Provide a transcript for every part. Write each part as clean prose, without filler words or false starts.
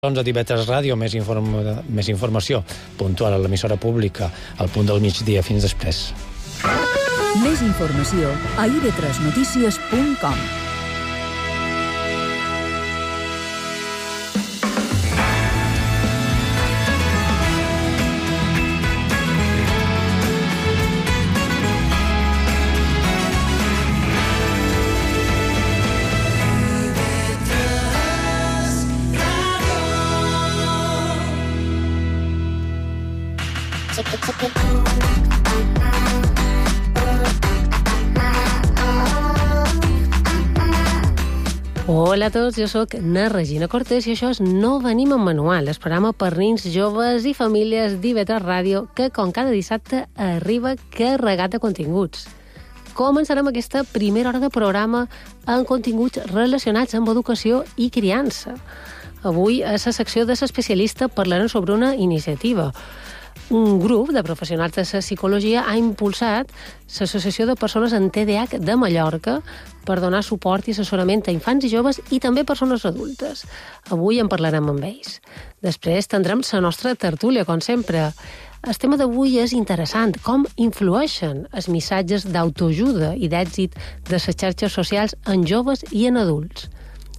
A TV3 Ràdio, més informació puntual a l'emissora pública al punt del migdia. Fins després. Més informació a ib3notícies.com. Hola a tots, jo sóc na Regina Cortés i això és No Venim amb Manual, el programa per nins, joves i famílies d'IV3 Ràdio que, com cada dissabte, arriba carregat de continguts. Començarem aquesta primera hora de programa amb continguts relacionats amb educació i criança. Avui, a la secció de l'especialista, parlarem sobre una iniciativa. Un grup de professionals de la psicologia ha impulsat l'Associació de Persones amb TDAH de Mallorca per donar suport i assessorament a infants i joves i també persones adultes. Avui en parlarem amb ells. Després tindrem la nostra tertúlia, com sempre. El tema d'avui és interessant, com influeixen els missatges d'autoajuda i d'èxit de les xarxes socials en joves i en adults.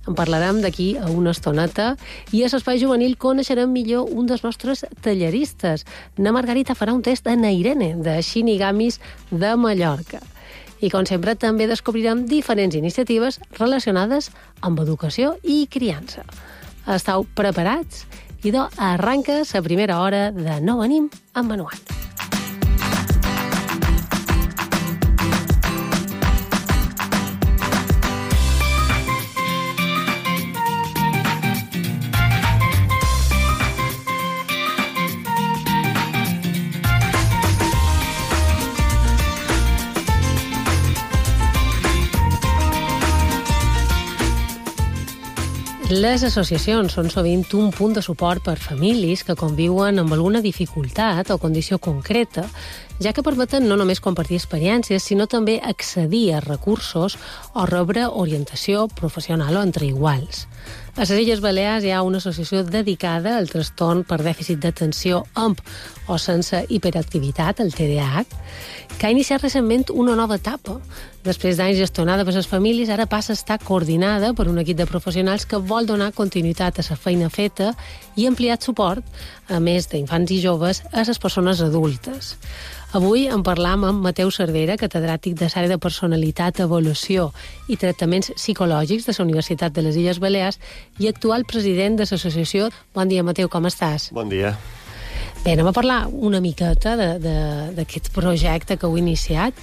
En parlarem d'aquí a una estoneta i a l'Espai Juvenil coneixerem millor un dels nostres talleristes. Na Margarita farà un test a na Irene, de Shinigamis de Mallorca. I, com sempre, també descobrirem diferents iniciatives relacionades amb educació i criança. Estau preparats? Idò, arranca la primera hora de No Venim amb Manual. Les associacions són sovint un punt de suport per famílies que conviuen amb alguna dificultat o condició concreta, ja que permeten no només compartir experiències, sinó també accedir a recursos o rebre orientació professional o entre iguals. A les Illes Balears hi ha una associació dedicada al trastorn per dèficit d'atenció amb o sense hiperactivitat, el TDAH, que ha iniciat recentment una nova etapa. Després d'anys gestionada per les famílies, ara passa a estar coordinada per un equip de professionals que vol donar continuïtat a la feina feta i ampliat suport, a més d'infants i joves, a les persones adultes. Avui en parlam amb Mateu Cervera, catedràtic de l'àrea de personalitat, avaluació i tractaments psicològics de la Universitat de les Illes Balears i actual president de l'associació. Bon dia, Mateu, com estàs? Bon dia. Bé, anem a parlar una miqueta d'aquest projecte que heu iniciat.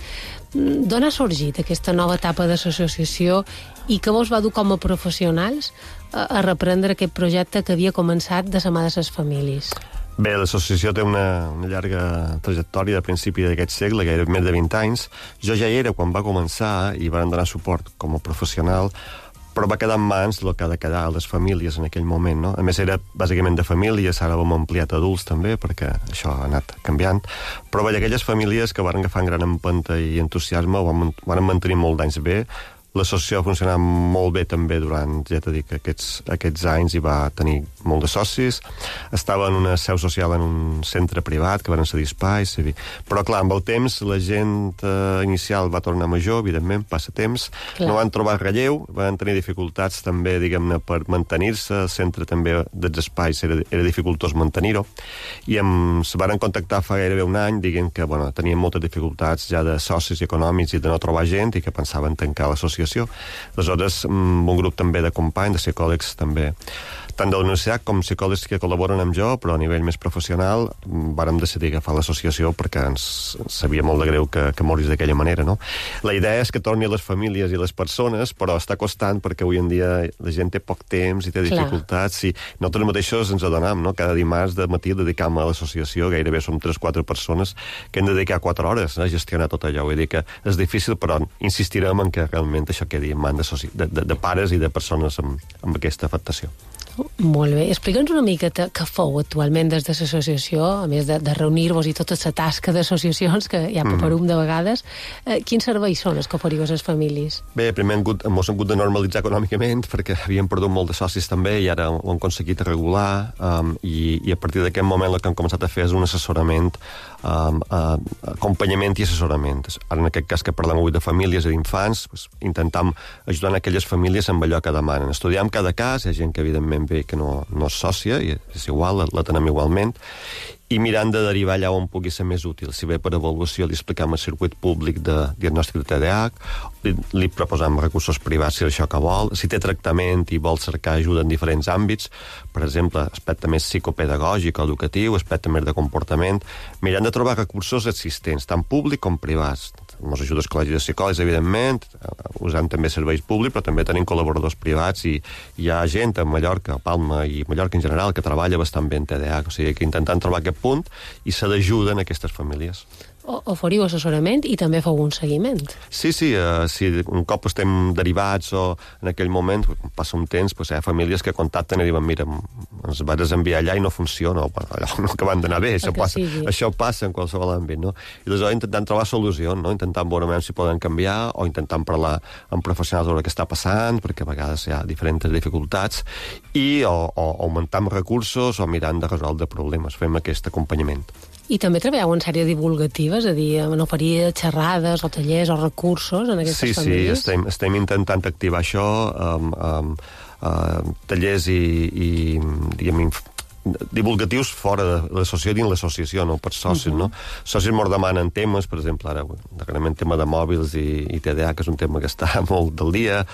D'on ha sorgit aquesta nova etapa d'associació i què vos va dur com a professionals a reprendre aquest projecte que havia començat de la mà de les famílies? Bé, l'associació té una llarga trajectòria de principi d'aquest segle, gairebé més de 20 anys. Jo ja hi era quan va començar i van donar suport com a professional, però va quedar en mans del que ha de quedar a les famílies en aquell moment, no? A més, era bàsicament de famílies, ara hem ampliat adults també, perquè això ha anat canviant. Però bé, aquelles famílies que van agafar gran empenta i entusiasme van mantenir molt d'anys bé. L'associació ha funcionat molt bé també durant, ja t'he dit, aquests anys i va tenir molt de socis. Estava en una seu social en un centre privat que van cedir espais. Però, clar, amb el temps la gent inicial va tornar major, evidentment, passa temps. Clar. No van trobar relleu, van tenir dificultats també, diguem-ne, per mantenir-se. El centre també dels espais era dificultós mantenir-ho. I se van contactar fa gairebé un any, diguem que tenien moltes dificultats ja de socis econòmics i de no trobar gent i que pensaven tancar l'associació. Aleshores, un grup també de companys, de psicòlegs també, tant de la universitat com psicòlegs que col·laboren amb jo, però a nivell més professional, vàrem decidir agafar l'associació perquè ens sabia molt de greu que morís d'aquella manera, no? La idea és que torni a les famílies i les persones, però està costant perquè avui en dia la gent té poc temps i té dificultats. I nosaltres mateixos ens adonam, no? Cada dimarts de matí dedicam a l'associació, gairebé som 3-4 persones que hem de dedicar 4 hores a gestionar tot allò. Vull dir que és difícil, però insistirem en que realment això quedi en mans de pares i de persones amb aquesta afectació. Molt bé. Explica'ns una mica què feu actualment des de l'associació, a més de reunir-vos i tota la tasca d'associacions, que hi ha paperum de vegades. Quins serveis són els que oferiu a les famílies? Bé, primer ens hem hagut de normalitzar econòmicament, perquè havíem perdut molt de socis també, i ara ho hem aconseguit regular, i a partir d'aquest moment el que hem començat a fer és un assessorament, acompanyament i assessorament. Ara, en aquest cas que parlem avui de famílies i d'infants, intentam ajudar aquelles famílies amb allò que demanen. Estudiem cada cas, hi ha gent que evidentment ve que no és sòcia, i és igual, la tenem igualment, i mirant de derivar allà on pugui ser més útil. Si bé per avaluació li expliquem el circuit públic de diagnòstic de TDAH, li proposam recursos privats si és això que vol, si té tractament i vol cercar ajuda en diferents àmbits, per exemple, aspecte més psicopedagògic o educatiu, aspecte més de comportament, mirant de trobar recursos existents, tant públics com privats. Ens ajuda el Col·legi de Psicòlegs, evidentment, usant també serveis públics, però també tenim col·laboradors privats, i hi ha gent a Mallorca, a Palma i Mallorca en general, que treballa bastant bé en TDAH, o sigui que intentant trobar aquest punt i se l'ajuda en aquestes famílies. Oferiu assessorament i també feu un seguiment. Sí, si un cop estem derivats o en aquell moment, passa un temps, hi ha famílies que contacten i diuen, mira, ens vas enviar allà i no funciona, allò no acaben d'anar bé, això passa en qualsevol àmbit, no? I aleshores intentant trobar solucions, no? Intentant veure si poden canviar o intentant parlar amb professionals sobre què està passant, perquè a vegades hi ha diferents dificultats, i o augmentar recursos o mirant de resoldre problemes, fem aquest acompanyament. I també treballeu en sèrie divulgativa, és a dir, en oferir xerrades o tallers o recursos en aquestes famílies? Sí, estem intentant activar això, tallers i diguem, divulgatius fora de l'associació, dins l'associació, no per socis, no? Socis m'ho demanen temes, per exemple, ara, darrerament tema de mòbils i TDAH, que és un tema que està molt del dia,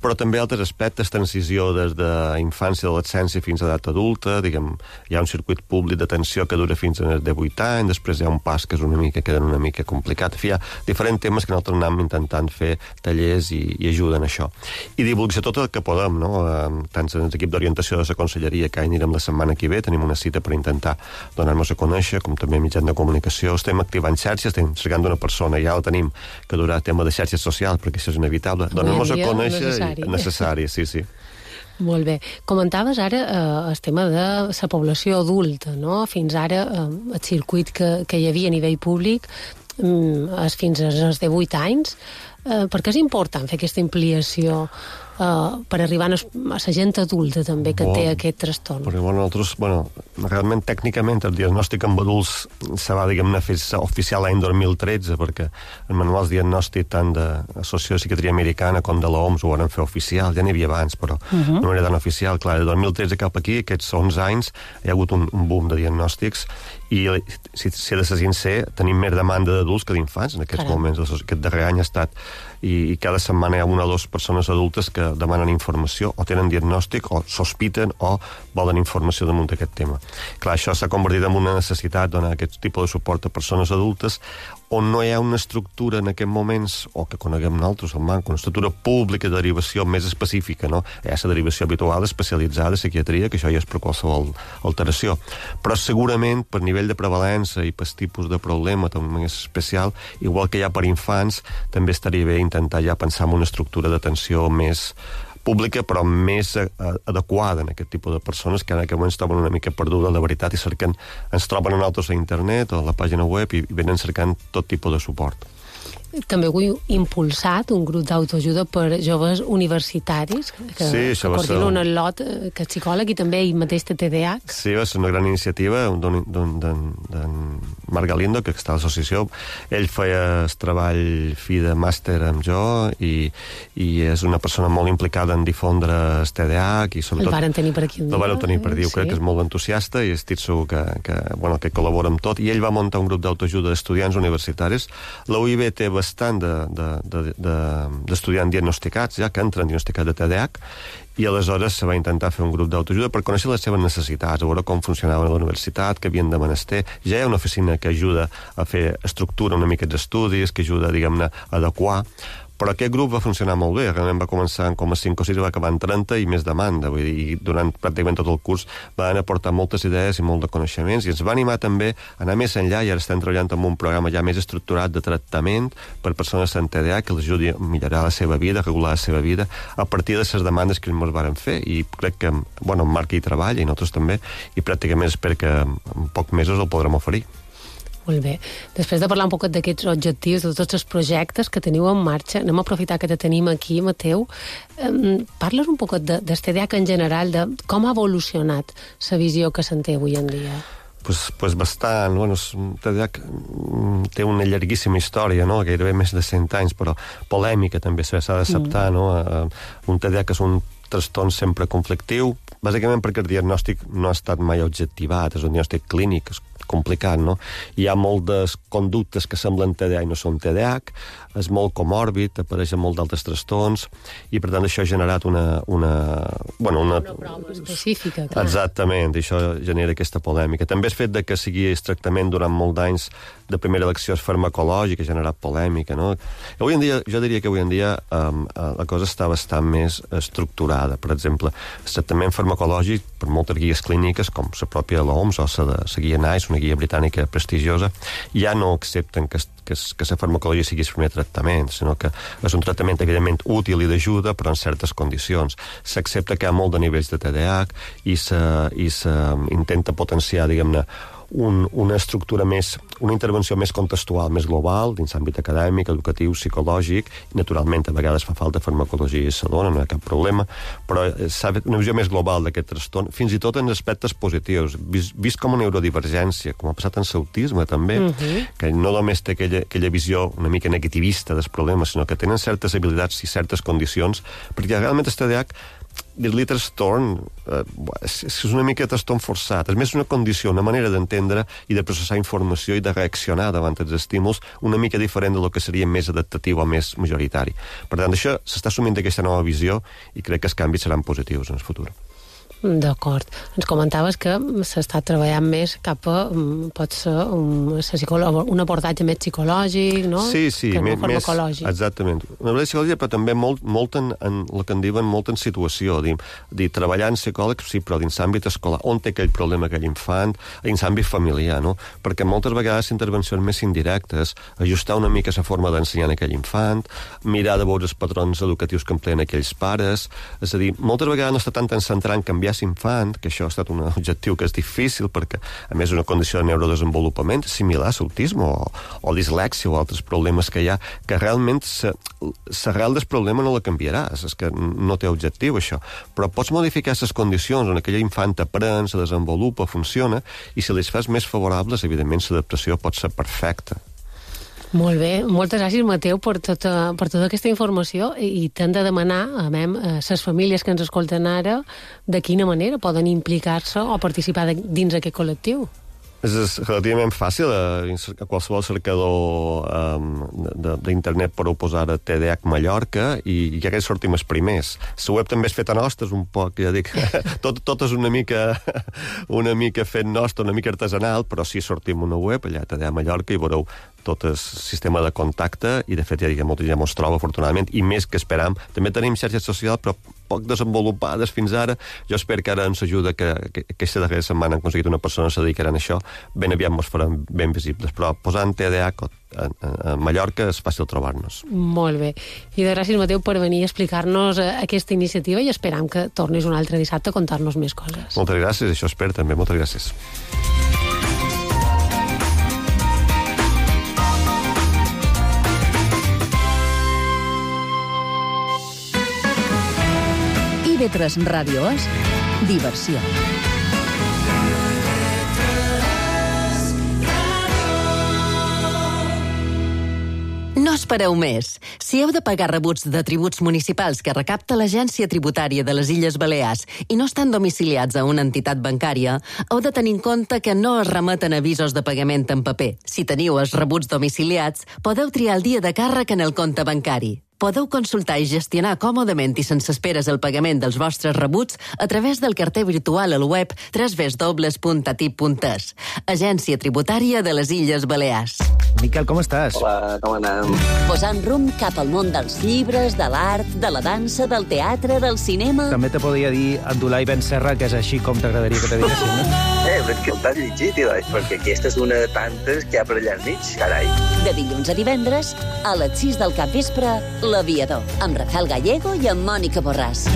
però també altres aspectes, transició des d'infància i adolescència fins a edat adulta, diguem, hi ha un circuit públic d'atenció que dura fins a de 8 anys, després hi ha un pas que és queda una mica complicat. En fi, hi ha diferents temes que nosaltres anem intentant fer tallers i ajuden a això. I divulgació tot el que podem, no? Tant en l'equip d'orientació de la conselleria, que anirem la setmana que ve, tenim una cita per intentar donar-nos a conèixer, com també mitjans de comunicació, estem activant xarxes, estem cercant una persona, ja la tenim, que durà tema de xarxes socials, perquè això és inevitable, donar-nos a conèixer necessari, sí. Molt bé. Comentaves ara el tema de la població adulta, no? Fins ara el circuit que hi havia a nivell públic és fins als 18 anys. Per què és important fer aquesta ampliació per arribar a la gent adulta també que té aquest trastorn? Perquè nosaltres, realment tècnicament el diagnòstic amb adults se va, diguem-ne, fer oficial l'any 2013, perquè els manuals diagnòstic tant de l'Associació de Psiquiatria Americana com de l'OMS ho van fer oficial, ja n'hi havia abans, però no era tan oficial. Clar, de 2013 cap aquí, aquests 11 anys, hi ha hagut un boom de diagnòstics, i si he de ser sincer, tenim més demanda d'adults que d'infants en aquests moments. Aquest darrer any ha estat, i cada setmana hi ha una o dues persones adultes que demanen informació, o tenen diagnòstic, o sospiten, o volen informació damunt d'aquest tema. Clar, això s'ha convertit en una necessitat, donar aquest tipus de suport a persones adultes, on no hi ha una estructura en aquests moments, o que coneguem nosaltres, el manco, una estructura pública de derivació més específica, no? Hi ha la derivació habitual especialitzada, psiquiatria, que això ja és per qualsevol alteració. Però segurament, per nivell de prevalença i per tipus de problema també més especial, igual que hi ha per infants, també estaria bé intentar ja pensar en una estructura d'atenció més pública, però més adequada en aquest tipus de persones que en aquest moment es troben una mica perduda, la veritat, i ens troben a nosaltres a internet o a la pàgina web i venen cercant tot tipus de suport. També heu impulsat un grup d'autoajuda per joves universitaris que coordina un lot que és psicòleg i també ell mateix té TDAH. Sí, va ser una gran iniciativa d'en Marc Galindo, que està a l'associació. Ell feia el treball fi de màster amb jo i és una persona molt implicada en difondre el TDAH i sobretot... El varen tenir per aquí un dia. El varen tenir per dir, crec que és molt entusiasta i estic segur que col·labora amb tot. I ell va muntar un grup d'autoajuda d'estudiants universitaris. La UIB té bastant d'estudiants diagnosticats, ja que entren diagnosticats de TDAH, i aleshores se va intentar fer un grup d'autoajuda per conèixer les seves necessitats, a veure com funcionaven a la universitat, què havien de menester. Ja hi ha una oficina que ajuda a fer estructura una mica d'estudis, que ajuda, diguem-ne, a adequar, Però aquest grup va funcionar molt bé, realment va començar en com a 5 o 6 i va acabar en 30 i més demanda, vull dir, i durant pràcticament tot el curs van aportar moltes idees i molt de coneixements, i ens va animar també a anar més enllà, i ara estem treballant en un programa ja més estructurat de tractament per persones amb TDAH que les ajudi a millorar la seva vida, a regular la seva vida, a partir de les demandes que ens varen fer, i crec que, bueno, en Marc hi treballa, i nosaltres també, i pràcticament espero que en pocs mesos el podrem oferir. Molt bé. Després de parlar un poc d'aquests objectius, de tots els projectes que teniu en marxa, anem a aprofitar que te tenim aquí, Mateu. Parla'ns un poc del TDAH en general, de com ha evolucionat la visió que se'n té avui en dia. Pues bastant. Bueno, TDAH té una llarguíssima història, no? Gairebé més de 100 anys, però polèmica també s'ha d'acceptar, no? Un TDAH és un trastorn sempre conflictiu, bàsicament perquè el diagnòstic no ha estat mai objectivat, és un diagnòstic clínic, és complicat, no? Hi ha moltes conductes que semblen TDAH i no són TDAH, és molt comòrbid, apareixen molt d'altres trastorns, i per tant això ha generat una prova específica, clar. Exactament, això genera aquesta polèmica. També el fet de que sigui tractament durant molt d'anys de primera elecció és farmacològic, ha generat polèmica, no? Avui en dia, jo diria que avui en dia la cosa està bastant més estructurada. Per exemple, el tractament farmacològic, per moltes guies clíniques, com la pròpia l'OMS o la guia NICE, una guia britànica prestigiosa, ja no accepten que la farmacologia sigui el primer tractament, sinó que és un tractament evidentment útil i d'ajuda, però en certes condicions. S'accepta que hi ha molt de nivells de TDAH i s'intenta potenciar, diguem-ne, una estructura més, una intervenció més contextual, més global, dins l'àmbit acadèmic, educatiu, psicològic, i naturalment a vegades fa falta farmacologia i s'adona, no hi ha cap problema, però s'ha fet una visió més global d'aquest trastorn, fins i tot en aspectes positius, vist com una neurodivergència, com ha passat en l'autisme també, que no només té aquella visió una mica negativista dels problemes, sinó que tenen certes habilitats i certes condicions, perquè realment el TDAH, dir-li trastorn és una mica trastorn forçat, és més una condició, una manera d'entendre i de processar informació i de reaccionar davant els estímuls una mica diferent del que seria més adaptatiu o més majoritari. Per tant, això s'està assumint aquesta nova visió i crec que els canvis seran positius en el futur. D'acord. Ens comentaves que s'està treballant més cap a, pot ser, un abordatge més psicològic, no? Sí, que no farmacològic. Exactament. Una abordatge psicològica, però també molt en el que en diuen molt en situació, dir treballar en psicòleg, sí, però dins l'àmbit escolar, on té aquell problema aquell infant, dins l'àmbit familiar, no? Perquè moltes vegades intervencions més indirectes, ajustar una mica la forma d'ensenyar aquell infant, mirar de veure els patrons educatius que empleen aquells pares, és a dir, moltes vegades no està tant en centrar en canviar infant, que això ha estat un objectiu que és difícil perquè, a més, és una condició de neurodesenvolupament similar a l'autisme o dislèxia o altres problemes que hi ha, que realment l'arrel del problema no la canviaràs, és que no té objectiu això, però pots modificar les condicions on aquell infant aprèn, se desenvolupa, funciona, i si les fas més favorables, evidentment l'adaptació pot ser perfecta. Molt bé, moltes gràcies, Mateu, per tota aquesta informació, i t'hem de demanar a les famílies que ens escolten ara de quina manera poden implicar-se o participar dins aquest col·lectiu. És relativament fàcil, a qualsevol cercador d'internet podeu posar TDAH Mallorca i ja que sortim els primers. La web també és feta nostra, és un poc, ja dic, tot és una mica fet nostre, una mica artesanal, però sí sortim una web, allà TDAH Mallorca, i veureu tot el sistema de contacte, i de fet ja molta gent ens troba, afortunadament, i més que esperam. També tenim xarxes socials, però poc desenvolupades fins ara. Jo espero que ara ens ajuda que aquesta darrera setmana han aconseguit una persona que se dedicarà a això, ben aviat ens faran ben visibles, però posant TDAH a Mallorca és fàcil trobar-nos. Molt bé. I de gràcies, Mateu, per venir a explicar-nos aquesta iniciativa, i esperam que tornis un altre dissabte a contar-nos més coses. Moltes gràcies, això espero també, moltes gràcies. IB3 Ràdio és diversió. No espereu més. Si heu de pagar rebuts de tributs municipals que recapta l'Agència Tributària de les Illes Balears i no estan domiciliats a una entitat bancària, heu de tenir en compte que no es remeten avisos de pagament en paper. Si teniu els rebuts domiciliats, podeu triar el dia de càrrec en el compte bancari. Podeu consultar i gestionar còmodament i sense esperes el pagament dels vostres rebuts a través del carter virtual al web www.atip.es. Agència Tributària de les Illes Balears. Miquel, com estàs? Hola, com anem? Posant rumb cap al món dels llibres, de l'art, de la dansa, del teatre, del cinema... També te podria dir Abdullah Ben Serra, que és així com t'agradaria que te diguessin, no? Però és que el t'has llegit, perquè aquesta és una de tantes que hi ha per allà al mig, carai. De dilluns a divendres, a les 6 del capvespre, L'Aviador, amb Rafael Gallego i amb Mònica Borràs.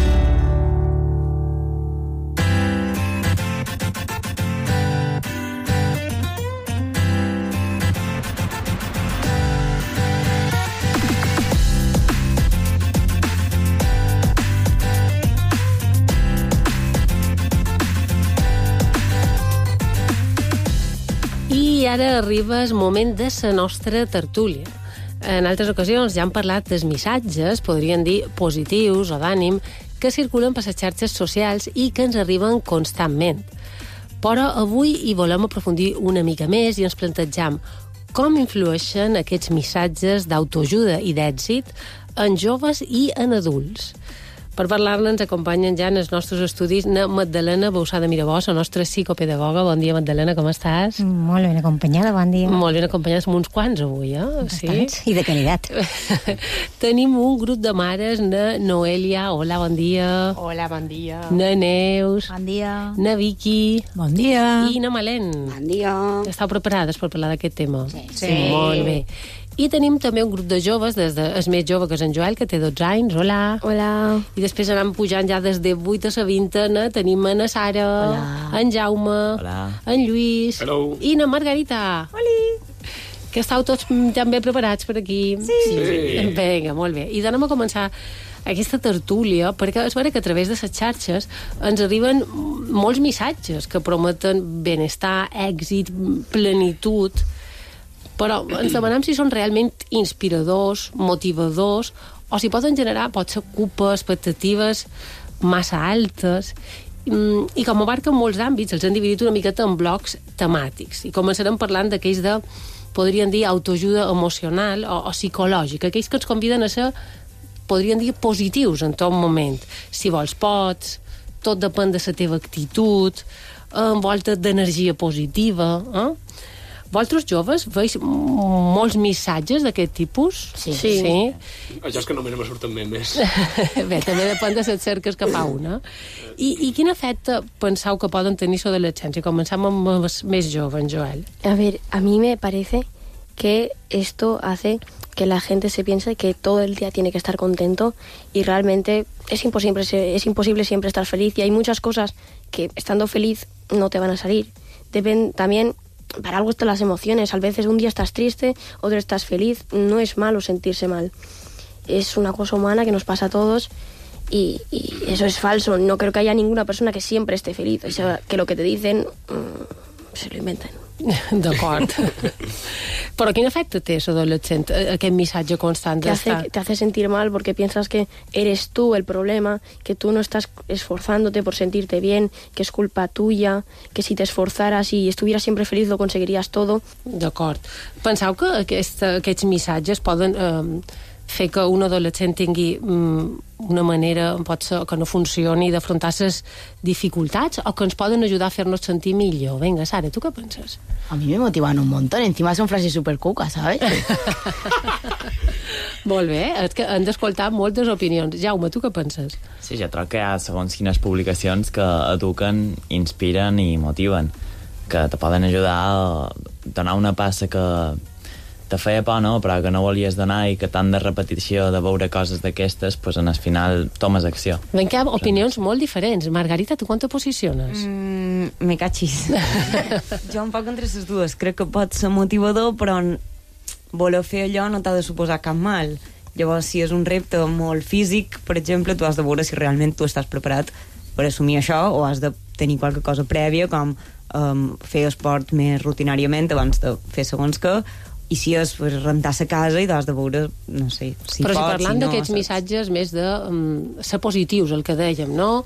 I ara arriba el moment de la nostra tertúlia. En altres ocasions ja hem parlat dels missatges, podríem dir positius o d'ànim, que circulen per les xarxes socials i que ens arriben constantment. Però avui hi volem aprofundir una mica més i ens plantegem com influeixen aquests missatges d'autoajuda i d'èxit en joves i en adults. Per parlar-ne ens acompanyen ja en els nostres estudis na Magdalena Bausada Mirabós, la nostra psicopedagoga. Bon dia, Magdalena, com estàs? Molt ben acompanyada, bon dia. Molt ben acompanyades, amb uns quants avui, Bastants, sí? I de qualitat. Tenim un grup de mares, na Noelia, hola, bon dia. Hola, bon dia. Na Neus. Bon dia. Na Vicky. Bon dia. I na Malén. Bon dia. Estàu preparades per parlar d'aquest tema? Sí. Molt bé. I tenim també un grup de joves, des de el més jove, que és en Joel, que té 12 anys. Hola. Hola. I després anem pujant ja des de 8 a la vintena. Tenim na Sara, en Jaume, en Lluís. Hello. I na Margarita. Oli. Que estàu tots també preparats per aquí. Sí. Vinga, molt bé. I anem a començar aquesta tertúlia, perquè és vera que a través de les xarxes ens arriben molts missatges que prometen benestar, èxit, plenitud, però ens demanem si són realment inspiradors, motivadors, o si poden generar, potser, culpes, expectatives massa altes, i com abarquen molts àmbits, els han dividit una miqueta en blocs temàtics, i començarem parlant d'aquells de, podríem dir, autoajuda emocional o psicològica, aquells que ens conviden a ser, podríem dir, positius en tot moment. Si vols, pots, tot depèn de la teva actitud, envolta d'energia positiva, Vosaltres joves veus molts missatges d'aquest tipus? Sí. Això és que només me surten memes. Bé, també depèn de les cerques que fa una. I quin efecte penseu que poden tenir sobre l'adolescència? Començam amb els més joves, Joel. A ver, a mí me parece que esto hace que la gente se piense que todo el día tiene que estar contento y realmente es imposible siempre estar feliz y hay muchas cosas que estando feliz no te van a salir. Deben también... Para algo están las emociones. A veces un día estás triste, otro estás feliz. No es malo sentirse mal. Es una cosa humana que nos pasa a todos y eso es falso. No creo que haya ninguna persona que siempre esté feliz. O sea, que lo que te dicen se lo inventan. D'acord. Però quin efecte té l'adolescent, aquest missatge constant d'estar? Te hace sentir mal porque piensas que eres tú el problema, que tú no estás esforzándote por sentirte bien, que es culpa tuya, que si te esforzaras y estuvieras siempre feliz lo conseguirías todo. D'acord. Penseu que aquests missatges poden fer que un adolescent tingui una manera, pot ser, que no funcioni d'afrontar les dificultats o que ens poden ajudar a fer-nos sentir millor? Vinga, Sara, ¿tú qué piensas? A mí me motivan un montón. Encima son frases super cucas, ¿sabes? Molt bé, és que han d'escoltar moltes opinions. Jaume, tu què penses? Sí, jo trobo que hi ha segons quines publicacions que eduquen, inspiren i motiven, que te poden ajudar a donar una passa que te feia por, no? Però que no volies donar i que tant de repetició de veure coses d'aquestes, pues en el final tomes acció. Ven que hi ha opinions molt diferents. Margarita, tu quan te posiciones? Me cachis. Jo un poc entre les dues. Crec que pot ser motivador, però voler fer allò no t'ha de suposar cap mal. Llavors, si és un repte molt físic, per exemple, tu has de veure si realment tu estàs preparat per assumir això o has de tenir qualque cosa prèvia, com fer esport més rutinàriament abans de fer segons què, i si és rentar la casa i has de veure, no sé, si però pots, si parlant d'aquests saps? missatges més de ser positius, el que dèiem, no?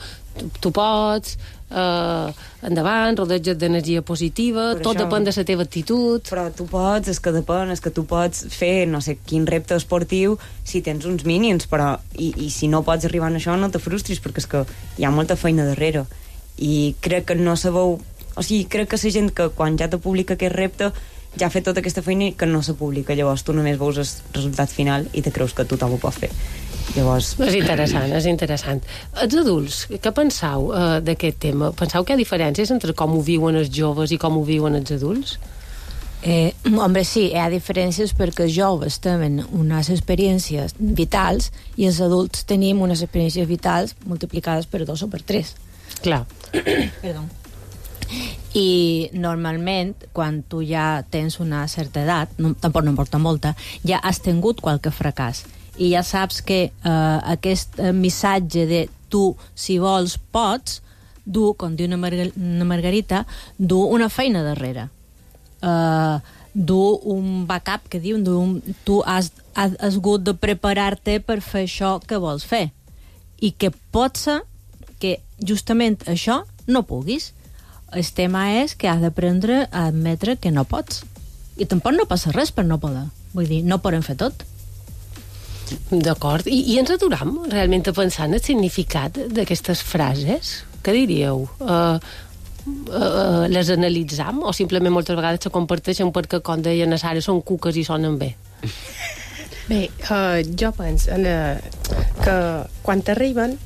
Tu pots, endavant, rodeja't d'energia positiva, Per tot això. depèn de la teva actitud. Però tu pots, és que depèn, és que tu pots fer no sé quin repte esportiu si tens uns mínims, però i si no pots arribar a això no te frustris, perquè és que hi ha molta feina darrere. I crec que no sabeu... O sigui, crec que la gent que quan ja te publica aquest repte ja ha fet tota aquesta feina i que no se publica. Llavors tu només veus el resultat final i te creus que tothom ho pot fer. Llavors... És interessant, és interessant. Els adults, què penseu d'aquest tema? Penseu que hi ha diferències entre com ho viuen els joves i com ho viuen els adults? Hombre, sí, hi ha diferències perquè els joves tenen unes experiències vitals i els adults tenim unes experiències vitals multiplicades per 2 o per 3. Clar. Perdó. I normalment quan tu ja tens una certa edat, tampoc no importa molta, ja has tingut qualque fracàs i ja saps que aquest missatge de tu, si vols, pots, du, com diu una Margarita, du una feina darrere. Du un backup, que diu, tu has hagut de preparar-te per fer això que vols fer. I que pot ser que justament això no puguis. El tema és que has d'aprendre a admetre que no pots. I tampoc no passa res per no poder. Vull dir, no podem fer tot. D'acord. I ens aturam realment a pensar en el significat d'aquestes frases? Què diríeu? Les analitzam o simplement moltes vegades se comparteixen perquè, com deia na Sara, són cuques i sonen bé? Bé, jo penso que quan t'arriben,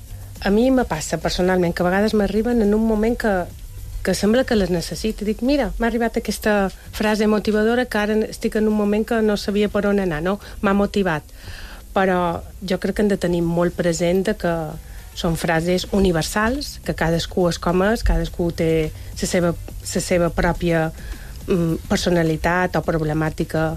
a mi me passa personalment que a vegades m'arriben en un moment que sembla que les necessito. Dic, mira, m'ha arribat aquesta frase motivadora que ara estic en un moment que no sabia per on anar, no? M'ha motivat. Però jo crec que hem de tenir molt present que són frases universals, que cadascú és com és, cadascú té la seva pròpia personalitat o problemàtica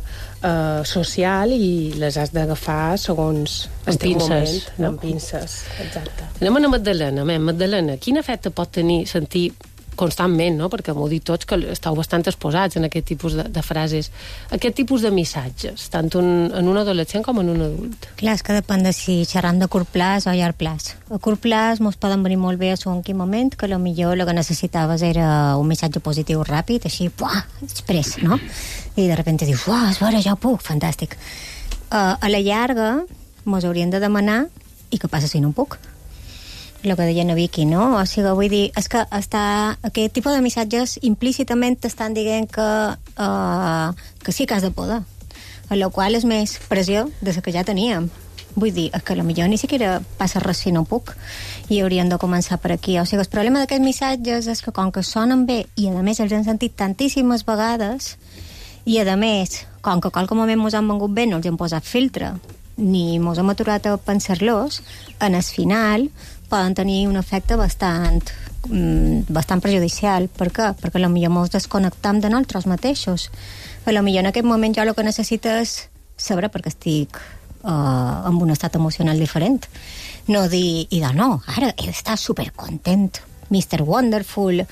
social i les has d'agafar segons el teu moment, amb pinces. Exacte. Anem a Magdalena. Magdalena, quin efecte pot tenir sentir constantment, no? Perquè m'ho dit tots que esteu bastant exposats en aquest tipus de frases, aquest tipus de missatges, tant en un adolescent com en un adult. Clar, és que depèn de si xerram de curt plaç o llarg plaç. A curt plaç mos poden venir molt bé a en quin moment, que potser el que necessitaves era un missatge positiu ràpid, així, puah, express, no? I de repente dius, uah, és vera, ja puc, fantàstic. A la llarga mos haurien de demanar i què passa si no puc? El que deia na Vicky, no? O sigui, vull dir, és que aquest tipus de missatges implícitament t'estan dient que sí que has de poder, a la qual és més pressió de la que ja teníem. Vull dir, és que potser ni siquiera passa res si no puc i hauríem de començar per aquí. O sigui, el problema d'aquests missatges és que com que sonen bé i a més els hem sentit tantíssimes vegades i a més, com que qualque moment mos han vengut bé no els hem posat filtre ni mos hem aturat a pensar-los, en el final poden tenir un efecte bastant perjudicial. Per què? Perquè potser mos desconnectam de nosaltres mateixos. Potser en aquest moment jo el que necessito és saber perquè estic en un estat emocional diferent. No dir, no, ara he d'estar supercontent, Mr. Wonderful,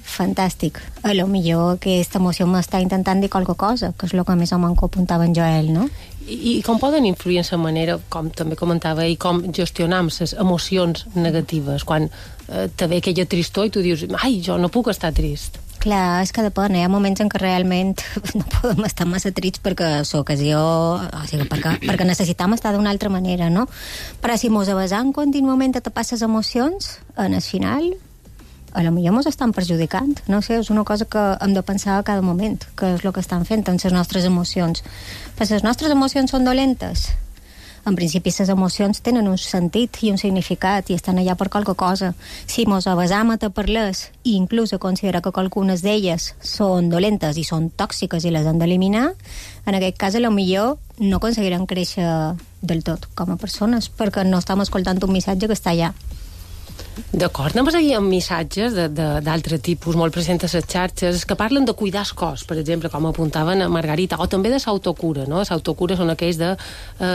fantàstic. Potser aquesta emoció m'està intentant dir qualque cosa, que és el que més o menys apuntava en Joel, no? I com poden influir en la manera, com també comentava, i com gestionam les emocions negatives, quan te ve aquella tristor i tu dius, ai, jo no puc estar trist. Clar, és que depèn, hi ha moments en què realment no podem estar massa trits perquè l'ocasió, o sigui, perquè necessitam estar d'una altra manera, no? Però si mos avasam contínuament a tapar les emocions, en el final potser mos estan perjudicant, no sé, és una cosa que hem de pensar a cada moment, que és el que estan fent amb les nostres emocions. Però les nostres emocions són dolentes. En principi, les emocions tenen un sentit i un significat i estan allà per qualque cosa. Si mos avasam a tapar-les i inclús a considerar que qualcunes d'elles són dolentes i són tòxiques i les hem d'eliminar, en aquest cas, potser no aconseguirem créixer del tot com a persones, perquè no estem escoltant un missatge que està allà. D'acord, anem a seguir amb missatges d'altre tipus, molt presents a les xarxes, que parlen de cuidar el cos, per exemple, com apuntaven a Margarita, o també de l'autocura, no? L'autocura són aquells de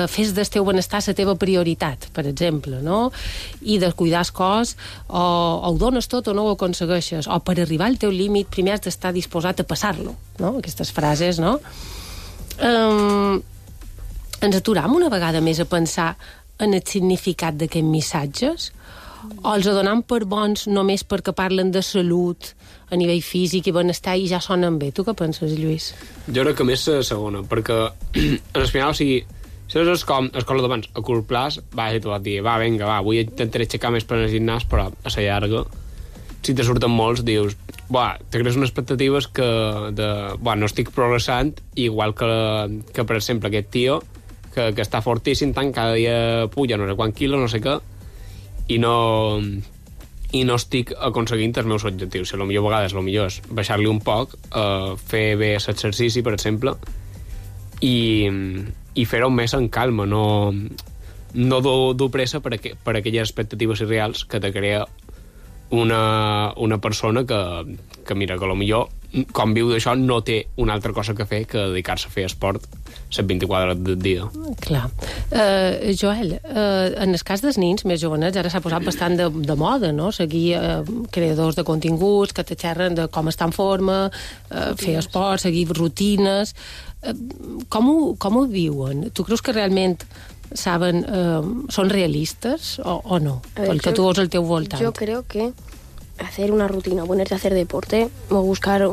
fes del teu benestar la teva prioritat, per exemple, no? I de cuidar el cos, o ho dones tot o no ho aconsegueixes, o per arribar al teu límit primer has d'estar disposat a passar-lo, no? Aquestes frases, no? Ens aturam una vegada més a pensar en el significat d'aquests missatges, o els donem per bons només perquè parlen de salut a nivell físic i benestar i ja sonen bé. Tu què penses, Lluís? Jo crec que més la segona, perquè al final, o sigui, si és com escola d'abans, a curt plaç, i tu vas dir, vinga, avui intentaré aixecar més per al gimnàs, però a la llarga, si te surten molts, dius, te crees unes expectatives que no estic progressant, igual que per exemple, aquest tio, que està fortíssim, tant cada dia puja no sé quant quilos, no sé què, i no estic aconseguint els meus objectius. Si potser a vegades és baixar-li un poc, fer bé l'exercici, per exemple, i fer-ho més en calma, no dur pressa per aquelles expectatives irreals que te crea una persona que mira, que potser com viu d'això no té una altra cosa que fer que dedicar-se a fer esport les 24 hores del dia. Clar. Joel, en el cas dels nins més jovenets ara s'ha posat bastant de moda, no? Seguir creadors de continguts que te xerren de com estar en forma, fer esport, seguir rutines. Com ho viuen? Tu creus que realment saben, són realistes o no? Pel que tu veus al teu voltant. Yo creo que hacer una rutina, ponerte a hacer deporte o buscar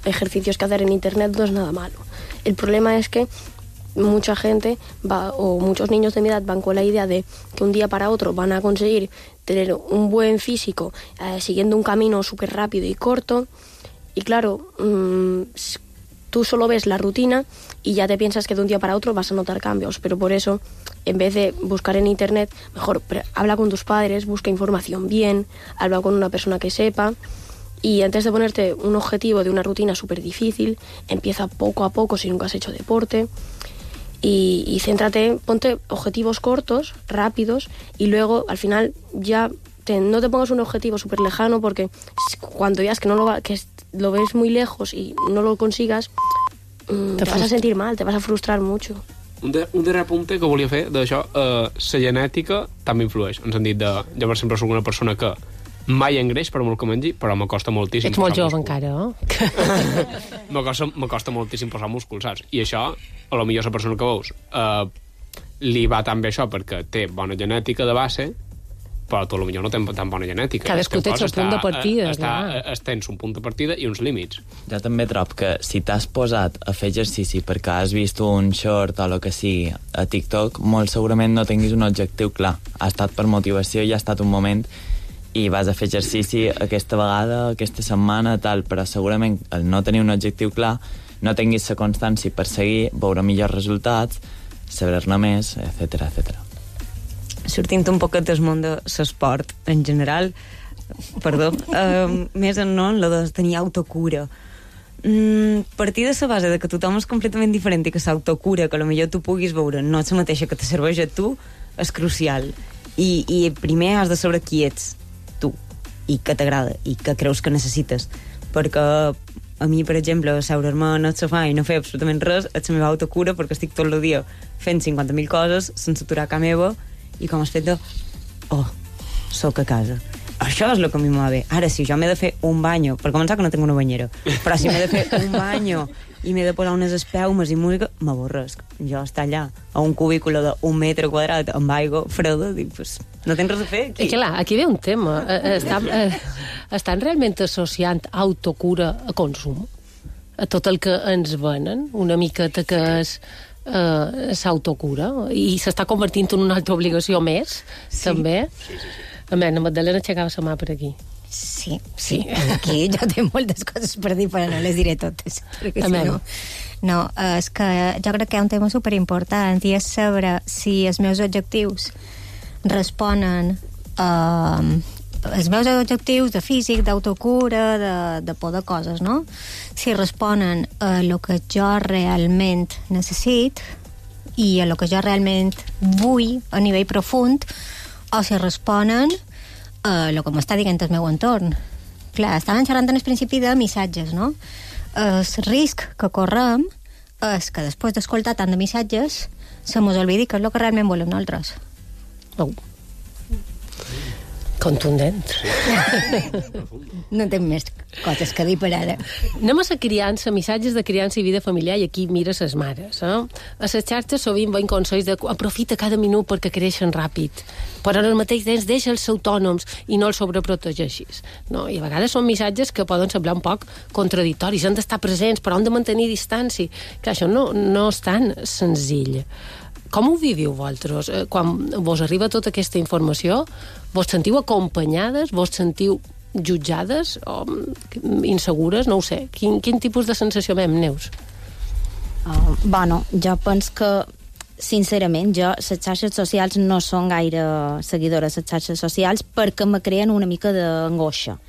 ejercicios que hacer en internet no es nada malo. El problema es que mucha gente o muchos niños de mi edad van con la idea de que un día para otro van a conseguir tener un buen físico siguiendo un camino súper rápido y corto, y claro, tú solo ves la rutina y ya te piensas que de un día para otro vas a notar cambios, pero por eso, en vez de buscar en internet, mejor habla con tus padres, busca información bien, habla con una persona que sepa, y antes de ponerte un objetivo de una rutina súper difícil, empieza poco a poco si nunca has hecho deporte, y céntrate, ponte objetivos cortos, rápidos, y luego al final ya no te pongas un objetivo súper lejano, porque cuando veas que lo ves muy lejos y no lo consigas, te vas a sentir mal, te vas a frustrar mucho. Un darrer apunte que volia fer d'això, la genètica també influeix, en el sentit de, jo per exemple soc una persona que mai engreix per molt que mengi, però m'acosta moltíssim. Ets molt jove encara, m'acosta moltíssim posar músculs, saps? I això, a lo millor la persona que veus li va tan bé això perquè té bona genètica de base, però tu potser no tens tan bona genètica. Cadascú té el seu punt de partida. Tens un punt de partida i uns límits. Jo també trobo que si t'has posat a fer exercici perquè has vist un short o el que sigui a TikTok, molt segurament no tinguis un objectiu clar. Ha estat per motivació i ha estat un moment i vas a fer exercici aquesta vegada, aquesta setmana, tal, però segurament el no tenir un objectiu clar, no tinguis la constància per seguir, veure millors resultats, saber-ne més, etc. Sortint un poquet del món de l'esport en general, més en lo de tenir autocura. Partir de la base de que tothom és completament diferent i que l'autocura, que potser tu puguis veure, no és la mateixa que te serveix a tu, és crucial. I primer has de saber qui ets tu, i què t'agrada, i què creus que necessites. Perquè a mi, per exemple, seure'm en el sofà i no fer absolutament res és la meva autocura, perquè estic tot el dia fent 50.000 coses sense aturar cap meva, i com has fet de soc a casa. Això és el que a mi m'ha bé. Ara, si jo m'he de fer un banyo, per començar que no tinc una banyera, però si m'he de fer un banyo i m'he de posar unes espelmes i música, m'avorresc. Jo estar allà a un cubículo d'1 metre quadrat amb aigua freda, dic, pues, no tens res a fer aquí. I clar, aquí ve un tema. Estan realment associant autocura a consum? A tot el que ens venen? Una miqueta que és s'autocura? I s'està convertint en una altra obligació més, també? Sí. A veure, Magdalena aixecava la mà per aquí. Sí. Aquí jo tinc moltes coses per dir, però no les diré totes. Perquè si no... No, és que jo crec que hi ha un tema superimportant i és saber si els meus objectius responen els meus objectius de físic, d'autocura, de por de coses, no? Si responen a el que jo realment necessit i a el que jo realment vull a nivell profund, o si responen a el que m'està dient el meu entorn. Clar, estàvem xerrant en el principi de missatges, no? El risc que correm és que després d'escoltar tant de missatges se mos oblidi que és el que realment volem nosaltres. Contundent. No tinc més coses que dir per ara. Anem a la criança, missatges de criança i vida familiar, i aquí mira ses mares. A les xarxes sovint veiem consells de aprofita cada minut perquè creixen ràpid, però al mateix temps deixa'ls autònoms i no els sobreprotegeixis. No? I a vegades són missatges que poden semblar un poc contradictoris, han d'estar presents, però han de mantenir distància. Que això no és tan senzill. Com ho viviu vosaltres? Quan vos arriba tota aquesta informació, vos sentiu acompanyades, vos sentiu jutjades o insegures? No ho sé. Quin tipus de sensació veiem, Neus? Bueno, jo penso que sincerament, les xarxes socials no són gaire seguidores de les xarxes socials perquè me creen una mica d'angoixa.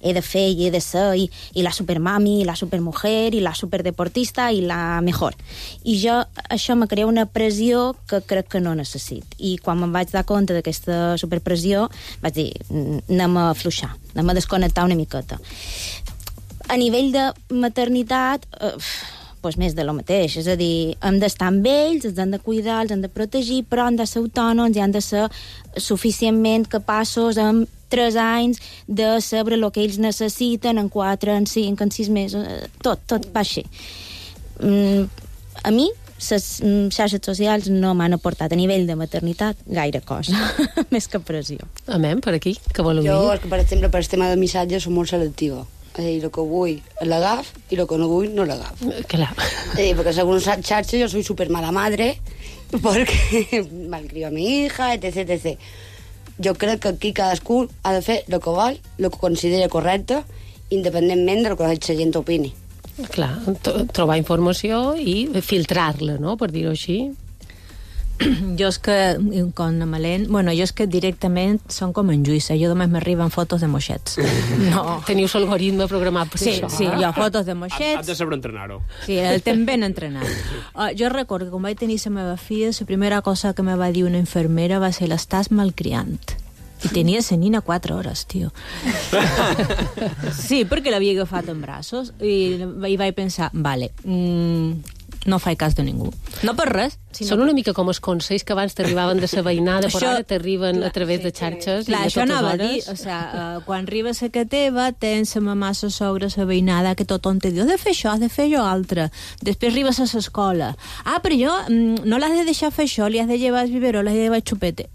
He de fer i he de ser i la supermami, i la supermujer, i la superdeportista, i la mejor. I això me crea una pressió que crec que no necessit. I quan me'n vaig dar compte d'aquesta superpressió, vaig dir, anem a afluixar, anem a desconnectar una miqueta. A nivell de maternitat, doncs més de lo mateix, és a dir, hem d'estar amb ells, els hem de cuidar, els hem de protegir, però han de ser autònoms i han de ser suficientment capaços amb 3 anys de saber el que ells necessiten en 4, en 5, en 6 mesos, tot va així. A mi, les xarxes socials no m'han aportat a nivell de maternitat gaire cosa, més que pressió. Amén, per aquí, que voleu dir? Jo, per exemple, per el tema de missatges, soc molt selectiva. És a dir, el que vull l'agaf i el que no vull no l'agaf. Clar. Porque según xarxes yo soy súper mala madre porque malcrio a mi hija, etc. Jo crec que aquí cadascú ha de fer el que vol, el que considera correcte, independentment del que la gent opini. Clar, trobar informació i filtrar-la, no?, per dir-ho així. Jo és que, com a Malén, jo és que directament són com en Lluïsa, jo només m'arriben fotos de moixets. No. Teniu l'algoritme programat per això. Sí, jo fotos de moixets. Has de saber entrenar-ho. Sí, el tens ben entrenat. Jo recordo que quan vaig tenir la meva filla, la primera cosa que me va dir una infermera va ser l'estàs malcriant. I tenia la nina 4 hores, tio. Sí, perquè l'havia agafat en braços i vaig pensar, vale, no faig cas de ningú. No per res. Són una mica com els consells que abans t'arribaven de la veïnada, però ara t'arriben a través de xarxes. Clar, això anava a dir, quan arribes a casa teva, tens la mamà, la sogra, la veïnada, que tothom te diu, has de fer això, has de fer allò altre. Després arribes a l'escola. Però jo no l'has de deixar fer això, li has de llevar el biberó, l'has de llevar el xupete.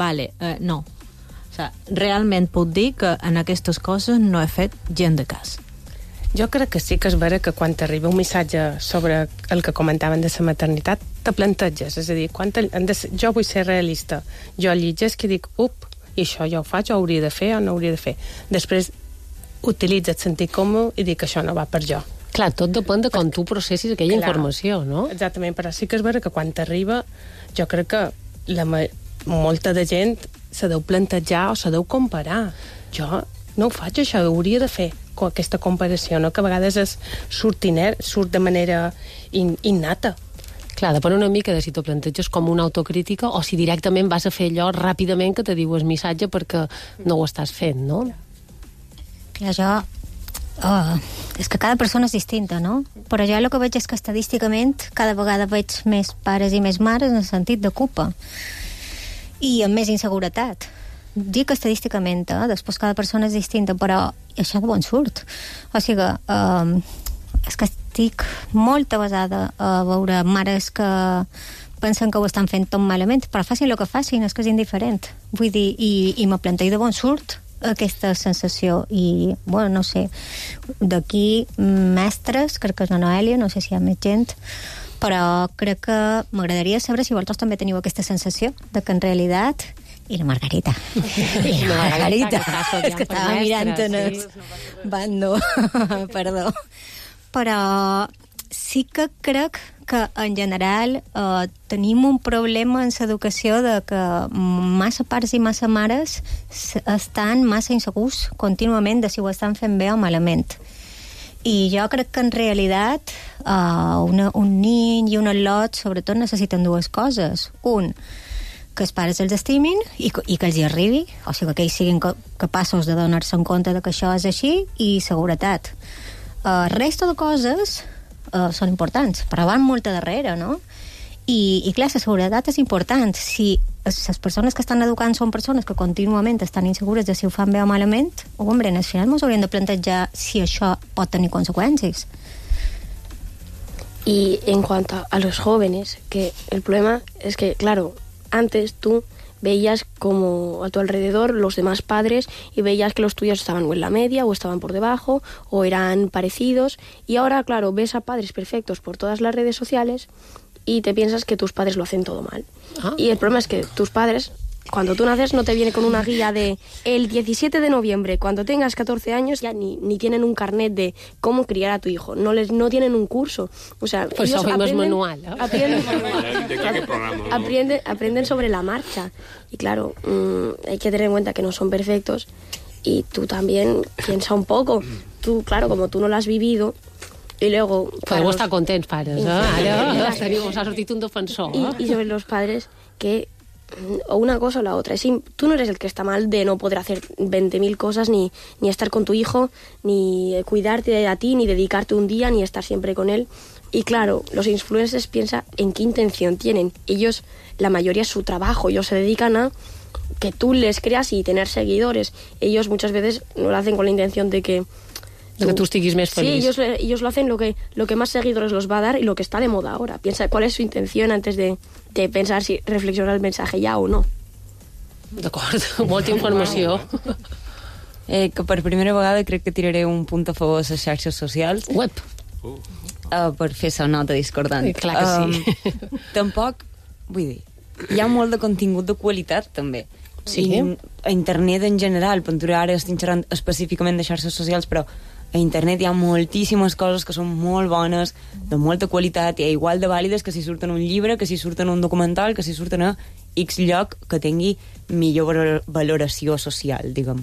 Vale, no. Realment puc dir que en aquestes coses no he fet gent de cas. Jo crec que sí que és vera que quan t'arriba un missatge sobre el que comentaven de la maternitat, te planteges, és a dir, jo vull ser realista, jo llitges que dic, i això jo ho faig, ho hauria de fer o no hauria de fer. Després utilitza el sentit comú i dic que això no va per jo. Clar, tot depèn de com tu processis aquella informació, no? Exactament, però sí que és vera que quan t'arriba, jo crec que molta de gent se deu plantejar o se deu comparar. Jo no ho faig, això, ho hauria de fer, aquesta comparació, no? Que a vegades surt de manera innata. Clar, depèn una mica de si t'ho planteges com una autocrítica o si directament vas a fer allò ràpidament que te diu el missatge perquè no ho estàs fent, no? Clar, és que cada persona és distinta, no? Però jo el que veig és que estadísticament cada vegada veig més pares i més mares en el sentit de culpa i amb més inseguretat. Dic estadísticament, després cada persona és distinta, però això de bon surt. O sigui, és que estic molt avasada a veure mares que pensen que ho estan fent tot malament, però facin el que facin, és que és indiferent. Vull dir, i me planteo de bon surt aquesta sensació i, no sé, d'aquí mestres, crec que és la Noèlia, no sé si hi ha més gent, però crec que m'agradaria saber si vosaltres també teniu aquesta sensació de que en realitat i la Margarita. I la Margarita. És que estava mirant en el bando. Perdó. Però sí que crec que en general tenim un problema en l'educació de que massa pares i massa mares estan massa insegurs contínuament de si ho estan fent bé o malament. I jo crec que en realitat un nin i un al·lot sobretot necessiten dues coses. Que els pares els estimin i que els hi arribi, o sigui, que ells siguin capaços de donar-se en compte que això és així, i seguretat. Resta de coses són importants, però van molt a darrere, no? I clar, la seguretat és important. Si les persones que estan educant són persones que contínuament estan insegures de si ho fan bé o malament, hombre, al final ens hauríem de plantejar si això pot tenir conseqüències. Y en cuanto a los jóvenes, que el problema es que, claro, antes tú veías como a tu alrededor los demás padres y veías que los tuyos estaban o en la media o estaban por debajo o eran parecidos, y ahora, claro, ves a padres perfectos por todas las redes sociales y te piensas que tus padres lo hacen todo mal. Y el problema es que tus padres, cuando tú naces, no te viene con una guía de el 17 de noviembre, cuando tengas 14 años, ya ni tienen un carnet de cómo criar a tu hijo. No tienen un curso. O sea, pues ellos manual, ¿no? Aprenden sobre la marcha. Y claro, hay que tener en cuenta que no son perfectos. Y tú también piensa un poco. Tú, claro, como tú no lo has vivido, y luego... Podeu estar contents, pares, eh? Ara us ha sortit un defensor. Y sobre los padres que... o una cosa o la otra. Tú no eres el que está mal de no poder hacer 20.000 cosas, ni estar con tu hijo, ni cuidarte a ti, ni dedicarte un día, ni estar siempre con él. Y claro, los influencers piensan en qué intención tienen. Ellos, la mayoría es su trabajo, ellos se dedican a que tú les creas y tener seguidores. Ellos muchas veces no lo hacen con la intención de que tú estiguis més feliç. Sí, ellos lo hacen lo que más seguidores los va a dar y lo que está de moda ahora. Piensa cuál es su intención antes de pensar si reflexionar el mensaje ya o no. D'acord, molta informació. Que per primera vegada crec que tiraré un punt a favor de les xarxes socials. Web. Per fer la nota discordant. Clar que sí. Tampoc, vull dir, hi ha molt de contingut de qualitat, també. Sí. A internet en general, per ara estic xerrant específicament de xarxes socials, però a internet hi ha moltíssimes coses que són molt bones, de molta qualitat, i igual de vàlides que si surten un llibre, que si surten un documental, que si surten a X lloc que tingui millor valoració social, diguem.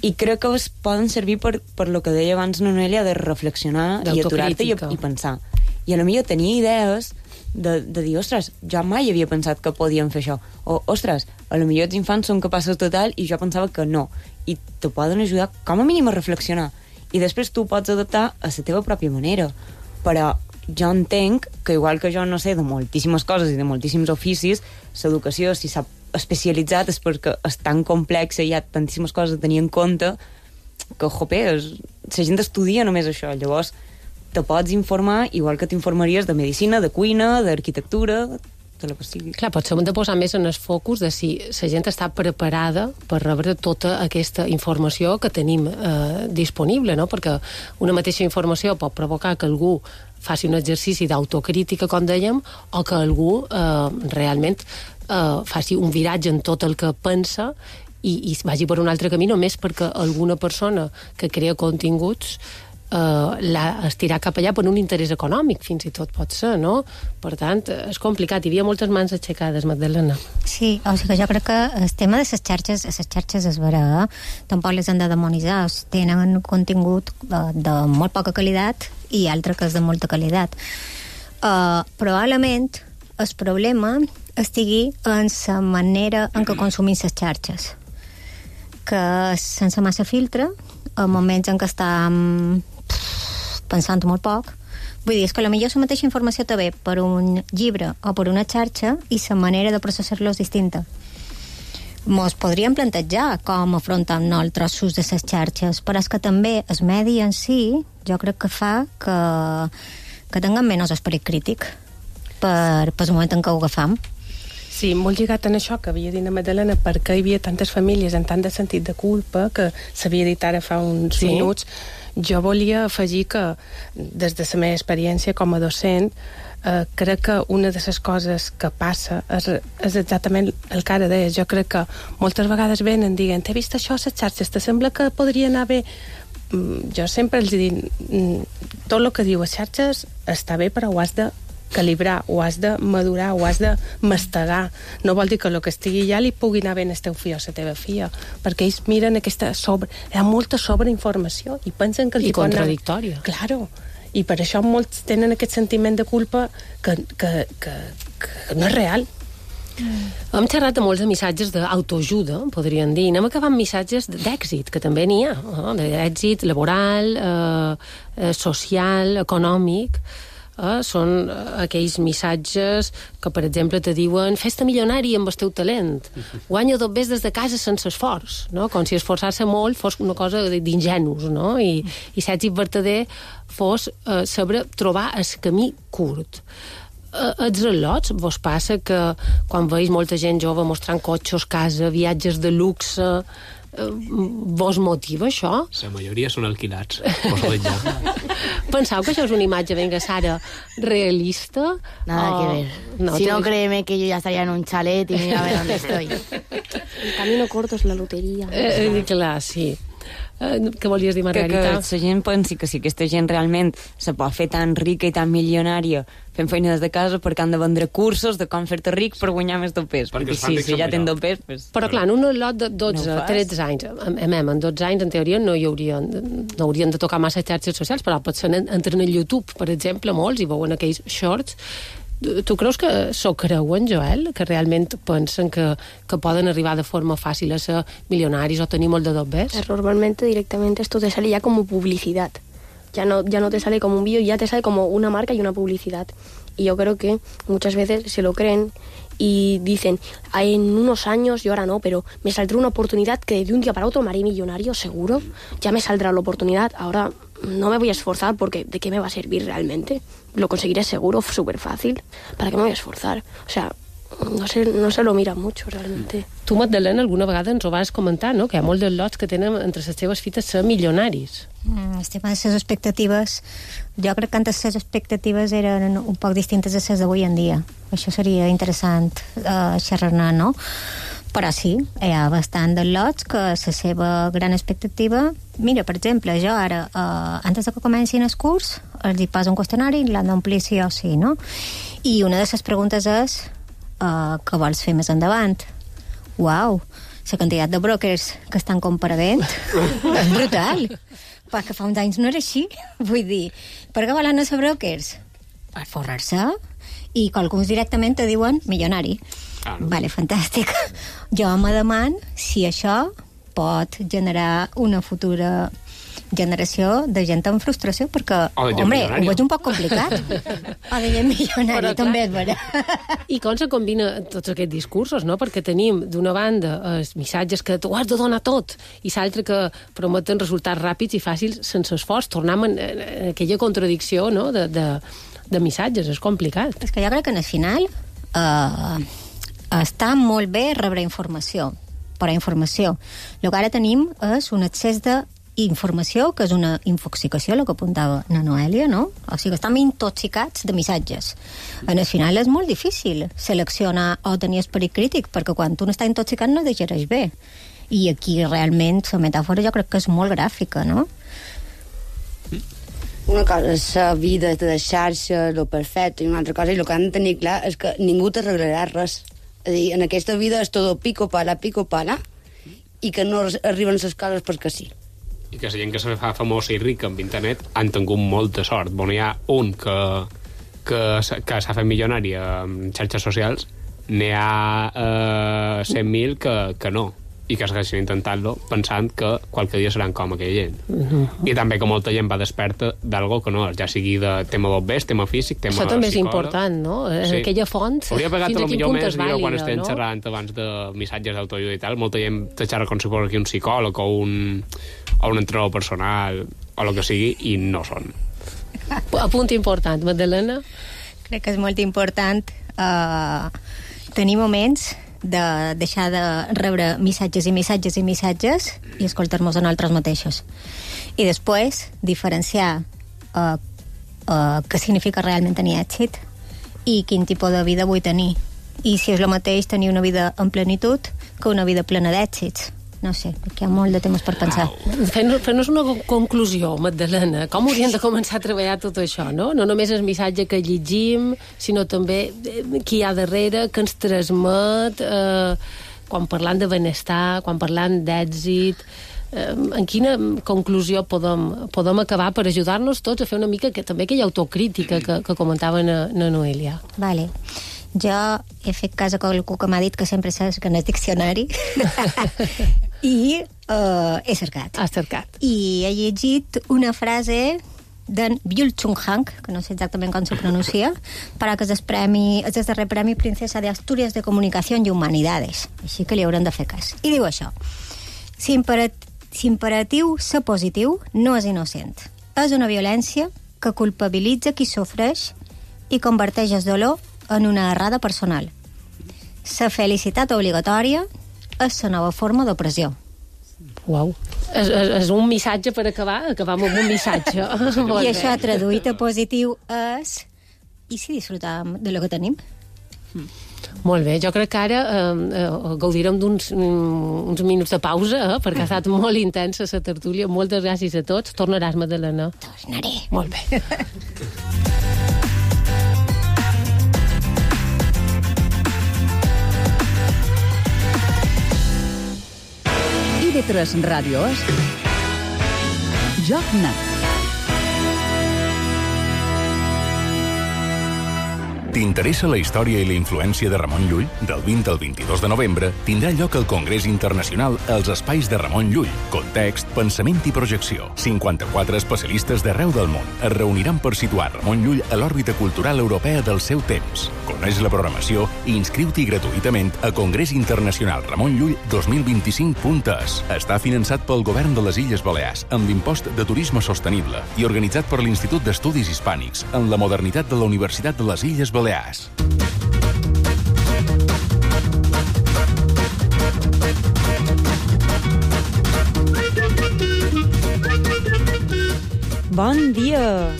I crec que es poden servir per lo que deia abans Noelia, de reflexionar i aturar-te i pensar. I a lo millor tenir idees de dir, ostres, jo mai havia pensat que podíem fer això. O, ostres, a lo millor els infants són capaços de tal i jo pensava que no. I te poden ajudar com a mínim a reflexionar. I després tu pots adaptar a la teva pròpia manera. Però jo entenc que, igual que jo no sé de moltíssimes coses i de moltíssims oficis, l'educació, si s'ha especialitzat, és perquè és tan complexa i hi ha tantíssimes coses a tenir en compte que, jope, la gent estudia només això. Llavors, te pots informar igual que t'informaries de medicina, de cuina, d'arquitectura, de la que sigui. Clar, potser hem de posar més en el focus de si la gent està preparada per rebre tota aquesta informació que tenim disponible, no? Perquè una mateixa informació pot provocar que algú faci un exercici d'autocrítica, com dèiem, o que algú realment faci un viratge en tot el que pensa i vagi per un altre camí només perquè alguna persona que crea continguts estirar cap allà per un interès econòmic, fins i tot pot ser, no? Per tant, és complicat. Hi havia moltes mans aixecades, Magdalena. Sí, o sigui que jo crec que el tema de les xarxes és vera, tampoc les han de demonitzar, tenen contingut de molt poca qualitat i altre que és de molta qualitat. Probablement el problema estigui en la manera en què consumim les xarxes, que sense massa filtre, a moments en què estem pensant molt poc. Vull dir, és que potser la mateixa informació te ve per un llibre o per una xarxa i la manera de processar-lo és distinta. Mos podríem plantejar com afrontem nosaltres l'ús de les xarxes, però és que també el medi en si jo crec que fa que tinguem menys esperit crític per el moment en què ho agafam. Sí, molt lligat en això que havia dit la Magdalena, perquè hi havia tantes famílies en tant de sentit de culpa, que s'havia dit ara fa uns minuts. Jo volia afegir que, des de la meva experiència com a docent, crec que una de les coses que passa és exactament el que ara deies. Jo crec que moltes vegades venen dient, he vist això a les xarxes, te sembla que podria anar bé? Jo sempre els dic, tot el que diu a xarxes està bé, però ho has de calibrar, ho has de madurar, ho has de mastegar. No vol dir que el que estigui allà li pugui anar bé al teu fill o a la teva filla, perquè ells miren aquesta hi ha molta sobreinformació i pensen que... I contradictòria. Claro. I per això molts tenen aquest sentiment de culpa que no és real. Hem xerrat de molts de missatges d'autoajuda, podríem dir. Anem acabant missatges d'èxit, que també n'hi ha, d'èxit laboral, social, econòmic. són aquells missatges que, per exemple, te diuen fes-te milionari amb el teu talent, guanya 2 ves des de casa sense esforç, no? Com si esforçar-se molt fos una cosa d'ingenus, no? I l'èxit verdader fos saber trobar el camí curt. Els relots, vos passa que quan veus molta gent jove mostrant cotxes, casa, viatges de luxe, vos motiva això? La majoria són alquilats. Vos ho veig ja. Penseu que això és una imatge, venga, Sara, realista? Nada que ver. No, si no, créeme que yo ya estaría en un chalet y mira a ver dónde estoy. El camino corto es la lotería. Clar, sí. Què volies dir, Margarita? Que la gent pensi que si aquesta gent realment se pot fer tan rica i tan milionària fent feina des de casa perquè han de vendre cursos de com fer-te ric per guanyar més dopers. Perquè si ja tenen dopers... Pues... Però clar, en un lot de 12, 13 anys, en 12 anys, en teoria, no haurien de tocar massa xarxes socials, però potser entren a YouTube, per exemple, molts, i veuen aquells shorts. Tu creus que s'ho creuen, Joel? Que realment pensen que poden arribar de forma fàcil a ser milionaris o tenir molt de dobbers? Normalmente directamente esto te sale ya como publicidad. Ya no te sale como un vídeo, ya te sale como una marca y una publicidad. Y yo creo que muchas veces se lo creen y dicen, en unos años, yo ahora no, pero me saldrá una oportunidad que de un día para otro me haré millonario, seguro. Ya me saldrá la oportunidad, ahora no me voy a esforzar porque ¿de qué me va a servir realmente? Lo conseguiré seguro, súper fácil. ¿Para qué me voy a esforzar? O sea, no se lo miran mucho, realmente. Tu, Magdalena, alguna vegada ens ho vas comentar, no? Que hi ha molts de lots que tenen entre les seves fites ser milionaris. El tema de les expectatives, jo crec que antes les expectatives eren un poc distintes de les d'avui en dia. Això seria interessant xerrar-ne, no? Però sí, hi ha bastant de lots que la seva gran expectativa... Mira, per exemple, jo ara, antes de que comencin el curs, els hi poso un qüestionari i l'han d'omplir sí o sí, no? I una de les preguntes és què vols fer més endavant? Uau, la quantitat de brokers que estan comparegant és brutal. Perquè fa uns anys no era així. Vull dir, per què volen ser brokers? Per forrar-se. I alguns directament te diuen milionari. Vale, fantàstic. Jo me deman si això pot generar una futura generació de gent amb frustració, perquè, home, ho veig un poc complicat. O de gent milionari, també és vera. I com se combina tots aquests discursos, no? Perquè tenim, d'una banda, els missatges que tu has de donar tot, i l'altre que prometen resultats ràpids i fàcils sense esforç. Tornem en aquella contradicció, no?, de missatges. És complicat. És que jo crec que al final està molt bé rebre informació, però informació. El que ara tenim és un excés d'informació, que és una infoxicació, el que apuntava la Noèlia, no? O sigui, estem intoxicats de missatges. Al final és molt difícil seleccionar o tenir esperit crític, perquè quan tu n'estàs intoxicat no digereix bé. I aquí realment la metàfora jo crec que és molt gràfica, no? Una cosa és la vida de xarxa, lo perfecte, i una altra cosa, i el que han de tenir clar és que ningú t'arreglarà res. És a dir, en aquesta vida és tot pico pala, i que no arriben les coses perquè sí. I que la gent que se fa famosa i rica amb internet han tingut molta sort. Bueno, hi ha un que s'ha fet milionari amb xarxes socials, n'hi ha 100.000 que no, i que segueixen intentant-lo pensant que qualque dia seran com aquella gent. I també que molta gent va desperta d'algo que no és, ja sigui de tema bombers, tema físic, tema psicòleg. Això també és important, no? Sí. Aquella font, hauria pagat fins a quin punt és vàlida, quan estem xerrant abans de missatges d'autoajuda i tal, molta gent te xerra com si fos aquí un psicòleg o un entrenador personal o el que sigui, i no són. Apunt important, Magdalena? Crec que és molt important tenir moments de deixar de rebre missatges i missatges i missatges i escoltar-nos a nosaltres mateixos. I després diferenciar què significa realment tenir èxit i quin tipus de vida vull tenir. I si és el mateix tenir una vida en plenitud que una vida plena d'èxits. No sé, perquè hi ha molt de temes per pensar. Fem-nos una conclusió, Magdalena. Com hauríem de començar a treballar tot això, no? No només el missatge que llegim, sinó també qui hi ha darrere, que ens transmet, quan parlant de benestar, quan parlant d'èxit. En quina conclusió podem acabar per ajudar-nos tots a fer una mica també aquella autocrítica que comentava na Noelia? Vale. Jo he fet cas a qualcú que m'ha dit que sempre saps que no és diccionari i he cercat. Has cercat. I he llegit una frase d'en Byul Chung Han, que no sé exactament com se pronuncia, però que és el darrer Premi Princesa de Asturias de Comunicació i Humanidades, així que li haurem de fer cas. I diu això: si imperatiu ser positiu no és innocent. És una violència que culpabilitza qui sofreix i converteix el dolor en una errada personal. La felicitat obligatòria és la nova forma d'opressió. Uau. És un missatge per acabar amb un missatge. I això traduït a positiu és... I si disfrutam de lo que tenim? Molt bé, jo crec que ara gaudirem d'uns minuts de pausa, perquè ha estat molt intensa la tertúlia. Moltes gràcies a tots. Tornaràs, Madalena? Tornaré. Molt bé. IB3 Ràdio és Joc Net. T'interessa la història i la influència de Ramon Llull? Del 20 al 22 de novembre tindrà lloc el Congrés Internacional als Espais de Ramon Llull. Context, pensament i projecció. 54 especialistes d'arreu del món es reuniran per situar Ramon Llull a l'òrbita cultural europea del seu temps. Coneix la programació i inscriu-t'hi gratuïtament a congresinternacionalramonnllull 2025.es. Està finançat pel Govern de les Illes Balears amb l'impost de turisme sostenible i organitzat per l'Institut d'Estudis Hispànics en la modernitat de la Universitat de les Illes Balears. Bon dia!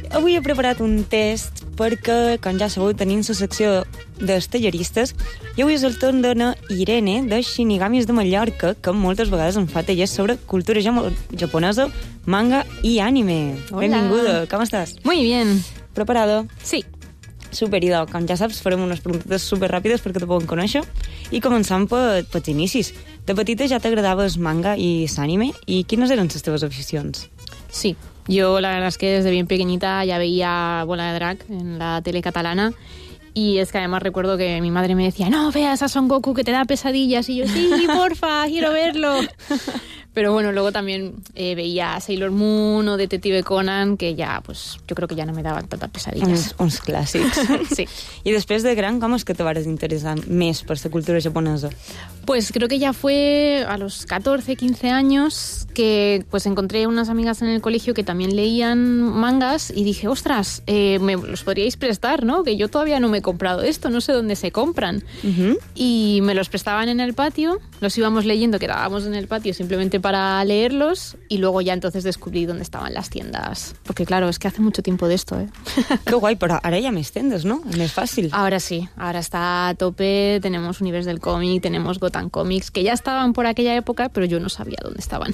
Avui he preparat un test perquè, com ja sabeu, tenim la secció dels talleristes i avui és el torn d'una Irene de Shinigamis de Mallorca, que moltes vegades em fa tallers sobre cultura japonesa, manga i anime. Hola. Benvinguda, com estàs? Muy bien. Preparada? Sí. Super, idò. Com ja saps, farem unes preguntes superràpides perquè te poden conèixer i començant pels inicis. De petita ja t'agradava el manga i l'anime i quines eren les teves aficions? Sí, yo la verdad es que desde bien pequeñita ya veía Bola de Drag en la tele catalana y es que además recuerdo que mi madre me decía no veas a Son Goku que te da pesadillas y yo sí, porfa, quiero verlo. Pero bueno, luego también veía Sailor Moon o Detective Conan, que ya, pues, yo creo que ya no me daban tantas pesadillas. Uns clàssics. Sí. I després de gran, com és que te vas interessar més per la cultura japonesa? Pues creo que ya fue a los 14, 15 años que pues encontré unas amigas en el colegio que también leían mangas y dije, ostras, me los podríais prestar, ¿no? Que yo todavía no me he comprado esto, no sé dónde se compran. Y me los prestaban en el patio, los íbamos leyendo, quedábamos en el patio simplemente para leerlos y luego ya entonces descubrí dónde estaban las tiendas. Porque claro, es que hace mucho tiempo de esto, ¿eh? Qué guay, pero ahora ya més tendes, ¿no? Més fàcil. Ahora sí, ahora está a tope, tenemos Univers del Cómic, tenemos Gotham Comics, que ya estaban por aquella época, pero yo no sabía dónde estaban.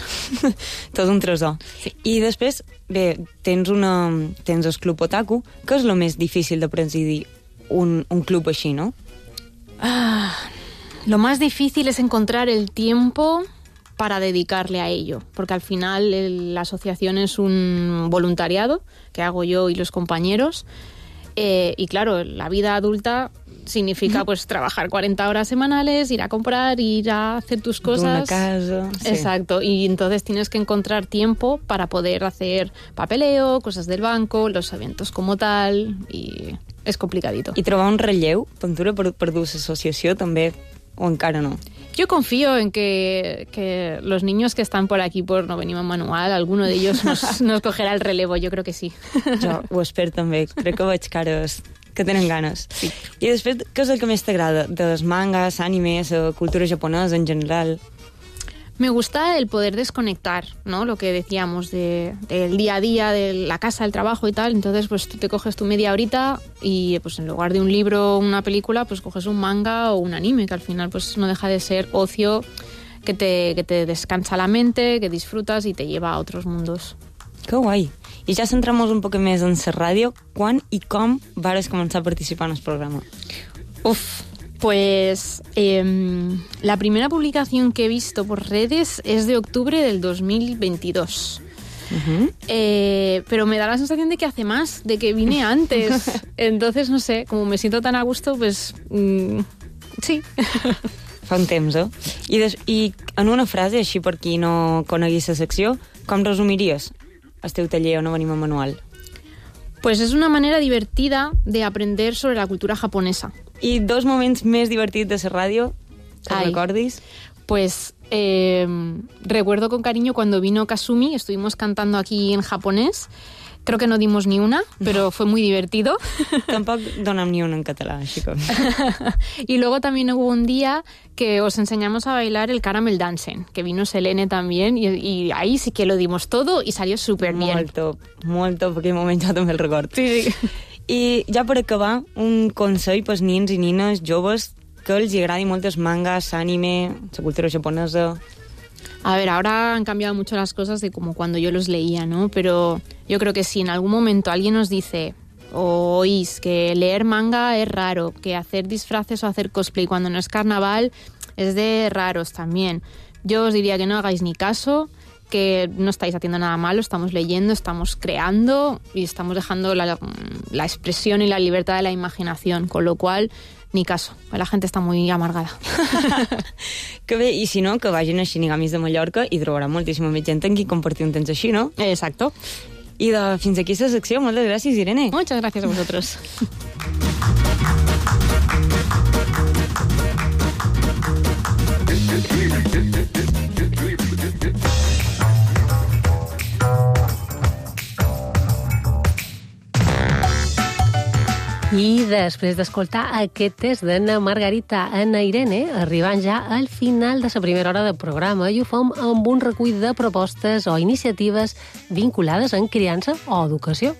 Tot un tresor. Sí. I després, bé, tens el Club Otaku, que és el més difícil de presidir un club així, no? Lo más difícil es encontrar el tiempo para dedicarle a ello, porque al final la asociación es un voluntariado que hago yo y los compañeros, y claro, la vida adulta significa pues trabajar 40 horas semanales, ir a comprar, ir a hacer tus cosas. Una casa. Sí. Exacto, y entonces tienes que encontrar tiempo para poder hacer papeleo, cosas del banco, los eventos como tal, y es complicadito. I trobar un relleu, Ventura, per dur l'associació també, o encara no? Yo confío en que los niños que están por aquí por No Venimos Manual, alguno de ellos nos cogerá el relevo, yo creo que sí. Jo ho espero també, crec que veig cares que tenen ganes. Sí. I després, què és el que més t'agrada? Dels mangas, animes, cultura japonesa en general? Me gusta el poder desconectar, ¿no? Lo que decíamos del día a día, de la casa, el trabajo y tal. Entonces, pues tú te coges tu media horita y pues en lugar de un libro o una película, pues coges un manga o un anime, que al final pues no deja de ser ocio que te descansa la mente, que disfrutas y te lleva a otros mundos. Que guai. I ja centramos un poc més en la ràdio. Quan i com vares començar a participar en el programa? Pues la primera publicación que he visto por redes es de octubre del 2022. Pero me da la sensación de que hace más, de que vine antes. Entonces, no sé, como me siento tan a gusto, pues sí. Fa un temps, eh? I en una frase, així per qui no conegui la secció, com resumiries el teu taller on venim a manual? Pues es una manera divertida de aprender sobre la cultura japonesa. ¿Y dos momentos más divertidos de esa radio? ¿Te recordis? Pues recuerdo con cariño cuando vino Kasumi, estuvimos cantando aquí en japonés. Creo que no dimos ni una, pero fue muy divertido. Tampoco donem ni una en catalán, chicos. Y luego también hubo un día que os enseñamos a bailar el Caramel Dancing, que vino Selene también, y ahí sí que lo dimos todo y salió súper bien. Molt top, aquell moment jo també el record. Sí. I ja per acabar, un consell pels nins i nines joves que els agradi molt els mangas, anime, la cultura japonesa. A ver, ahora han cambiado mucho las cosas de como cuando yo los leía, ¿no? Pero yo creo que si en algún momento alguien nos dice o oís que leer manga es raro, que hacer disfraces o hacer cosplay cuando no es carnaval es de raros también, yo os diría que no hagáis ni caso, que no estáis haciendo nada malo, estamos leyendo, estamos creando y estamos dejando la expresión y la libertad de la imaginación, con lo cual ni caso, la gente està muy amargada. Que bé, i si no, que vagin a Shinigamis de Mallorca i trobaran moltíssima més gent amb qui compartir un temps així, no? Exacto. I fins aquí la secció. Moltes gràcies, Irene. Muchas gracias a vosotros. I després d'escoltar aquest test d'Anna Margarita, Anna Irene, arribant ja al final de la primera hora del programa i ho fem amb un recull de propostes o iniciatives vinculades en criança o educació.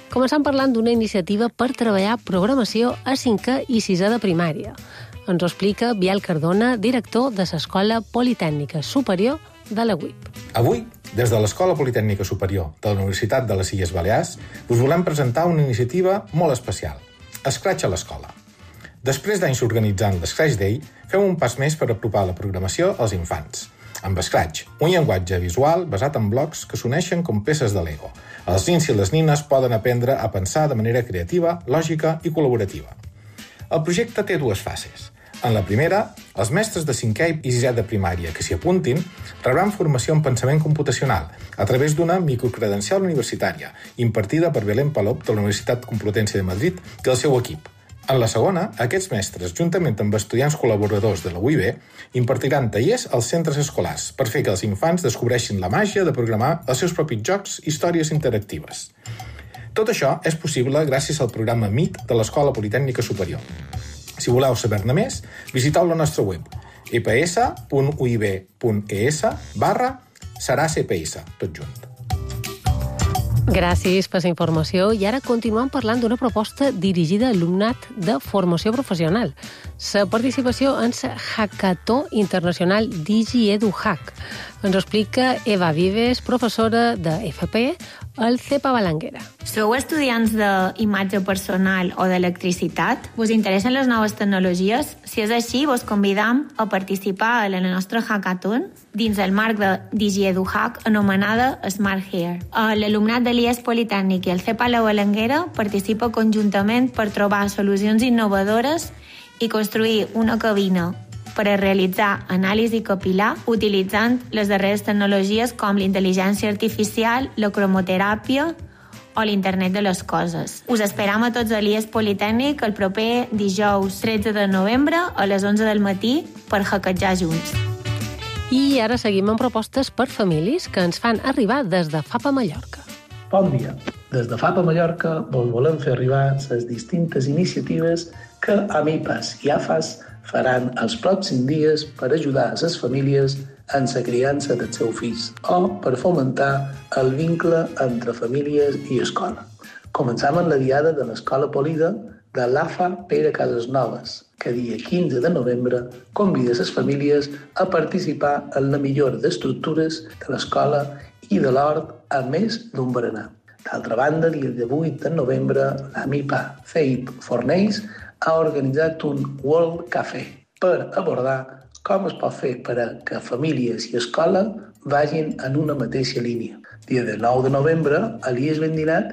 Començant parlant d'una iniciativa per treballar programació a 5è i 6è de primària. Ens ho explica Biel Cardona, director de l'Escola Politècnica Superior de la UIP. Avui, des de l'Escola Politècnica Superior de la Universitat de les Illes Balears, us volem presentar una iniciativa molt especial, Scratch a l'escola. Després d'anys organitzant l'Scratch Day, fem un pas més per apropar la programació als infants. Amb Scratch, un llenguatge visual basat en blocs que s'uneixen com peces de Lego. Els nins i les nines poden aprendre a pensar de manera creativa, lògica i col·laborativa. El projecte té dues fases. En la primera, els mestres de 5è i 6è de primària que s'hi apuntin rebran formació en pensament computacional a través d'una microcredencial universitària impartida per Belén Palop de la Universitat Complutense de Madrid i el seu equip. En la segona, aquests mestres, juntament amb estudiants col·laboradors de la UIB, impartiran tallers als centres escolars per fer que els infants descobreixin la màgia de programar els seus propis jocs i històries interactives. Tot això és possible gràcies al programa MIT de l'Escola Politècnica Superior. Si voleu saber-ne més, visiteu la nostra web eps.uib.es/serà-cps, tot junt. Gràcies per la informació i ara continuem parlant d'una proposta dirigida a alumnat de formació professional. La participació en la Hackathon Internacional DigiEduHack. Ens ho explica Eva Vives, professora de FP al CEPA Balanguera. Sou estudiants d'imatge personal o d'electricitat? Vos interessen les noves tecnologies? Si és així, vos convidam a participar a la nostra Hackathon dins el marc de DigiEduHack anomenada Smart Hair. L'alumnat de l'IES Politècnic i el CEPA La Balanguera participa conjuntament per trobar solucions innovadores i construir una cabina per a realitzar anàlisi capil·lar utilitzant les darreres tecnologies com l'intel·ligència artificial, la cromoteràpia o l'internet de les coses. Us esperam a tots a l'IES Politècnic el proper dijous 13 de novembre a les 11 del matí per hackejar junts. I ara seguim amb propostes per famílies que ens fan arribar des de FAPA Mallorca. Bon dia. Des de FAPA Mallorca vos volem fer arribar les distintes iniciatives que AMIPAS i AFAS faran els pròxims dies per ajudar a les famílies en la criança dels seus fills o per fomentar el vincle entre famílies i escola. Començam amb la diada de l'Escola Polida de l'AFA Pere Casasnoves, que dia 15 de novembre convida les famílies a participar en la millora d'estructures de l'escola i de l'hort a més d'un berenar. D'altra banda, dia 18 de novembre, l'AMIPA CEIP Fornells ha organitzat un World Café per abordar com es pot fer per a que famílies i escola vagin en una mateixa línia. Dia 9 de novembre, a l'IES Vendinat,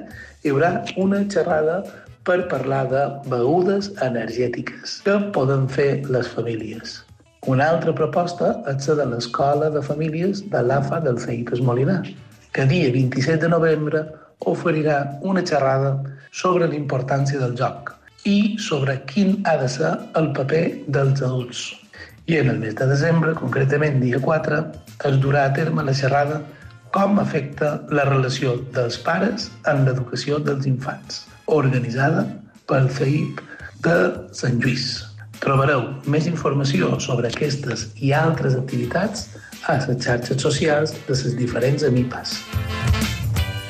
hi haurà una xerrada per parlar de begudes energètiques que poden fer les famílies. Una altra proposta és la de l'Escola de Famílies de l'AFA del CEIP Esmolinar. que dia 27 de novembre oferirà una xerrada sobre la importància del joc i sobre quin ha de ser el paper dels adults. I en el mes de desembre, concretament dia 4, es durà a terme la xerrada Com afecta la relació dels pares en l'educació dels infants, organitzada pel CEIP de Sant Lluís. Trobareu més informació sobre aquestes i altres activitats a les xarxes socials de les diferents AMIPAs.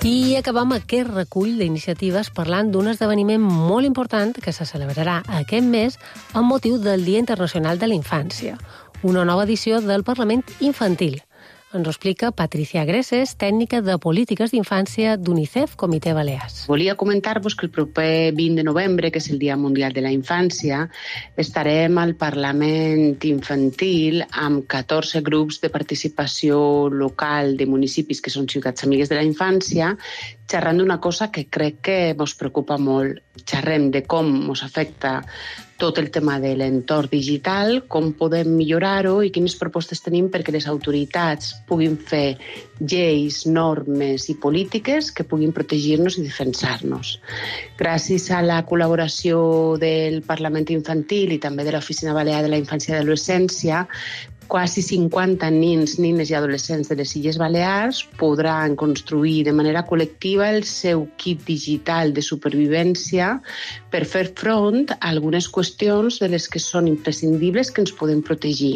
I acabam aquest recull d'iniciatives parlant d'un esdeveniment molt important que se celebrarà aquest mes amb motiu del Dia Internacional de la Infància, una nova edició del Parlament Infantil. Ens ho explica Patricia Greses, tècnica de polítiques d'infància d'UNICEF Comitè Balears. Volia comentar-vos que el proper 20 de novembre, que és el Dia Mundial de la Infància, estarem al Parlament Infantil amb 14 grups de participació local de municipis que són ciutats amigues de la infància, xerrant d'una cosa que crec que ens preocupa molt. Xerrem de com ens afecta tot el tema de l'entorn digital, com podem millorar-ho i quines propostes tenim perquè les autoritats puguin fer lleis, normes i polítiques que puguin protegir-nos i defensar-nos. Gràcies a la col·laboració del Parlament Infantil i també de l'Oficina Balear de la Infància i Adolescència, quasi 50 nins, nines i adolescents de les Illes Balears podran construir de manera col·lectiva el seu kit digital de supervivència per fer front a algunes qüestions de les que són imprescindibles que ens poden protegir.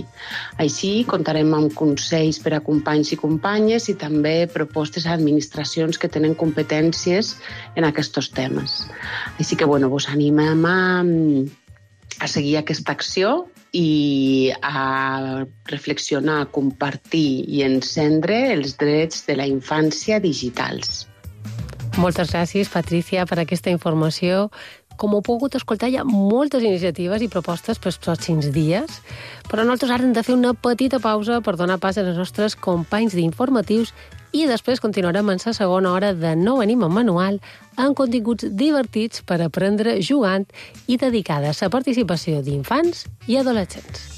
Així, comptarem amb consells per a companys i companyes i també propostes a administracions que tenen competències en aquests temes. Així que, vos animem a seguir aquesta acció i a reflexionar, compartir i encendre els drets de la infància digitals. Moltes gràcies, Patricia, per aquesta informació. Com heu pogut escoltar, hi ha moltes iniciatives i propostes pels pròxims dies, però nosaltres ara hem de fer una petita pausa per donar pas als nostres companys d'informatius i després continuarem en la segona hora de Nou Anim en Manual amb continguts divertits per aprendre jugant i dedicada a la participació d'infants i adolescents.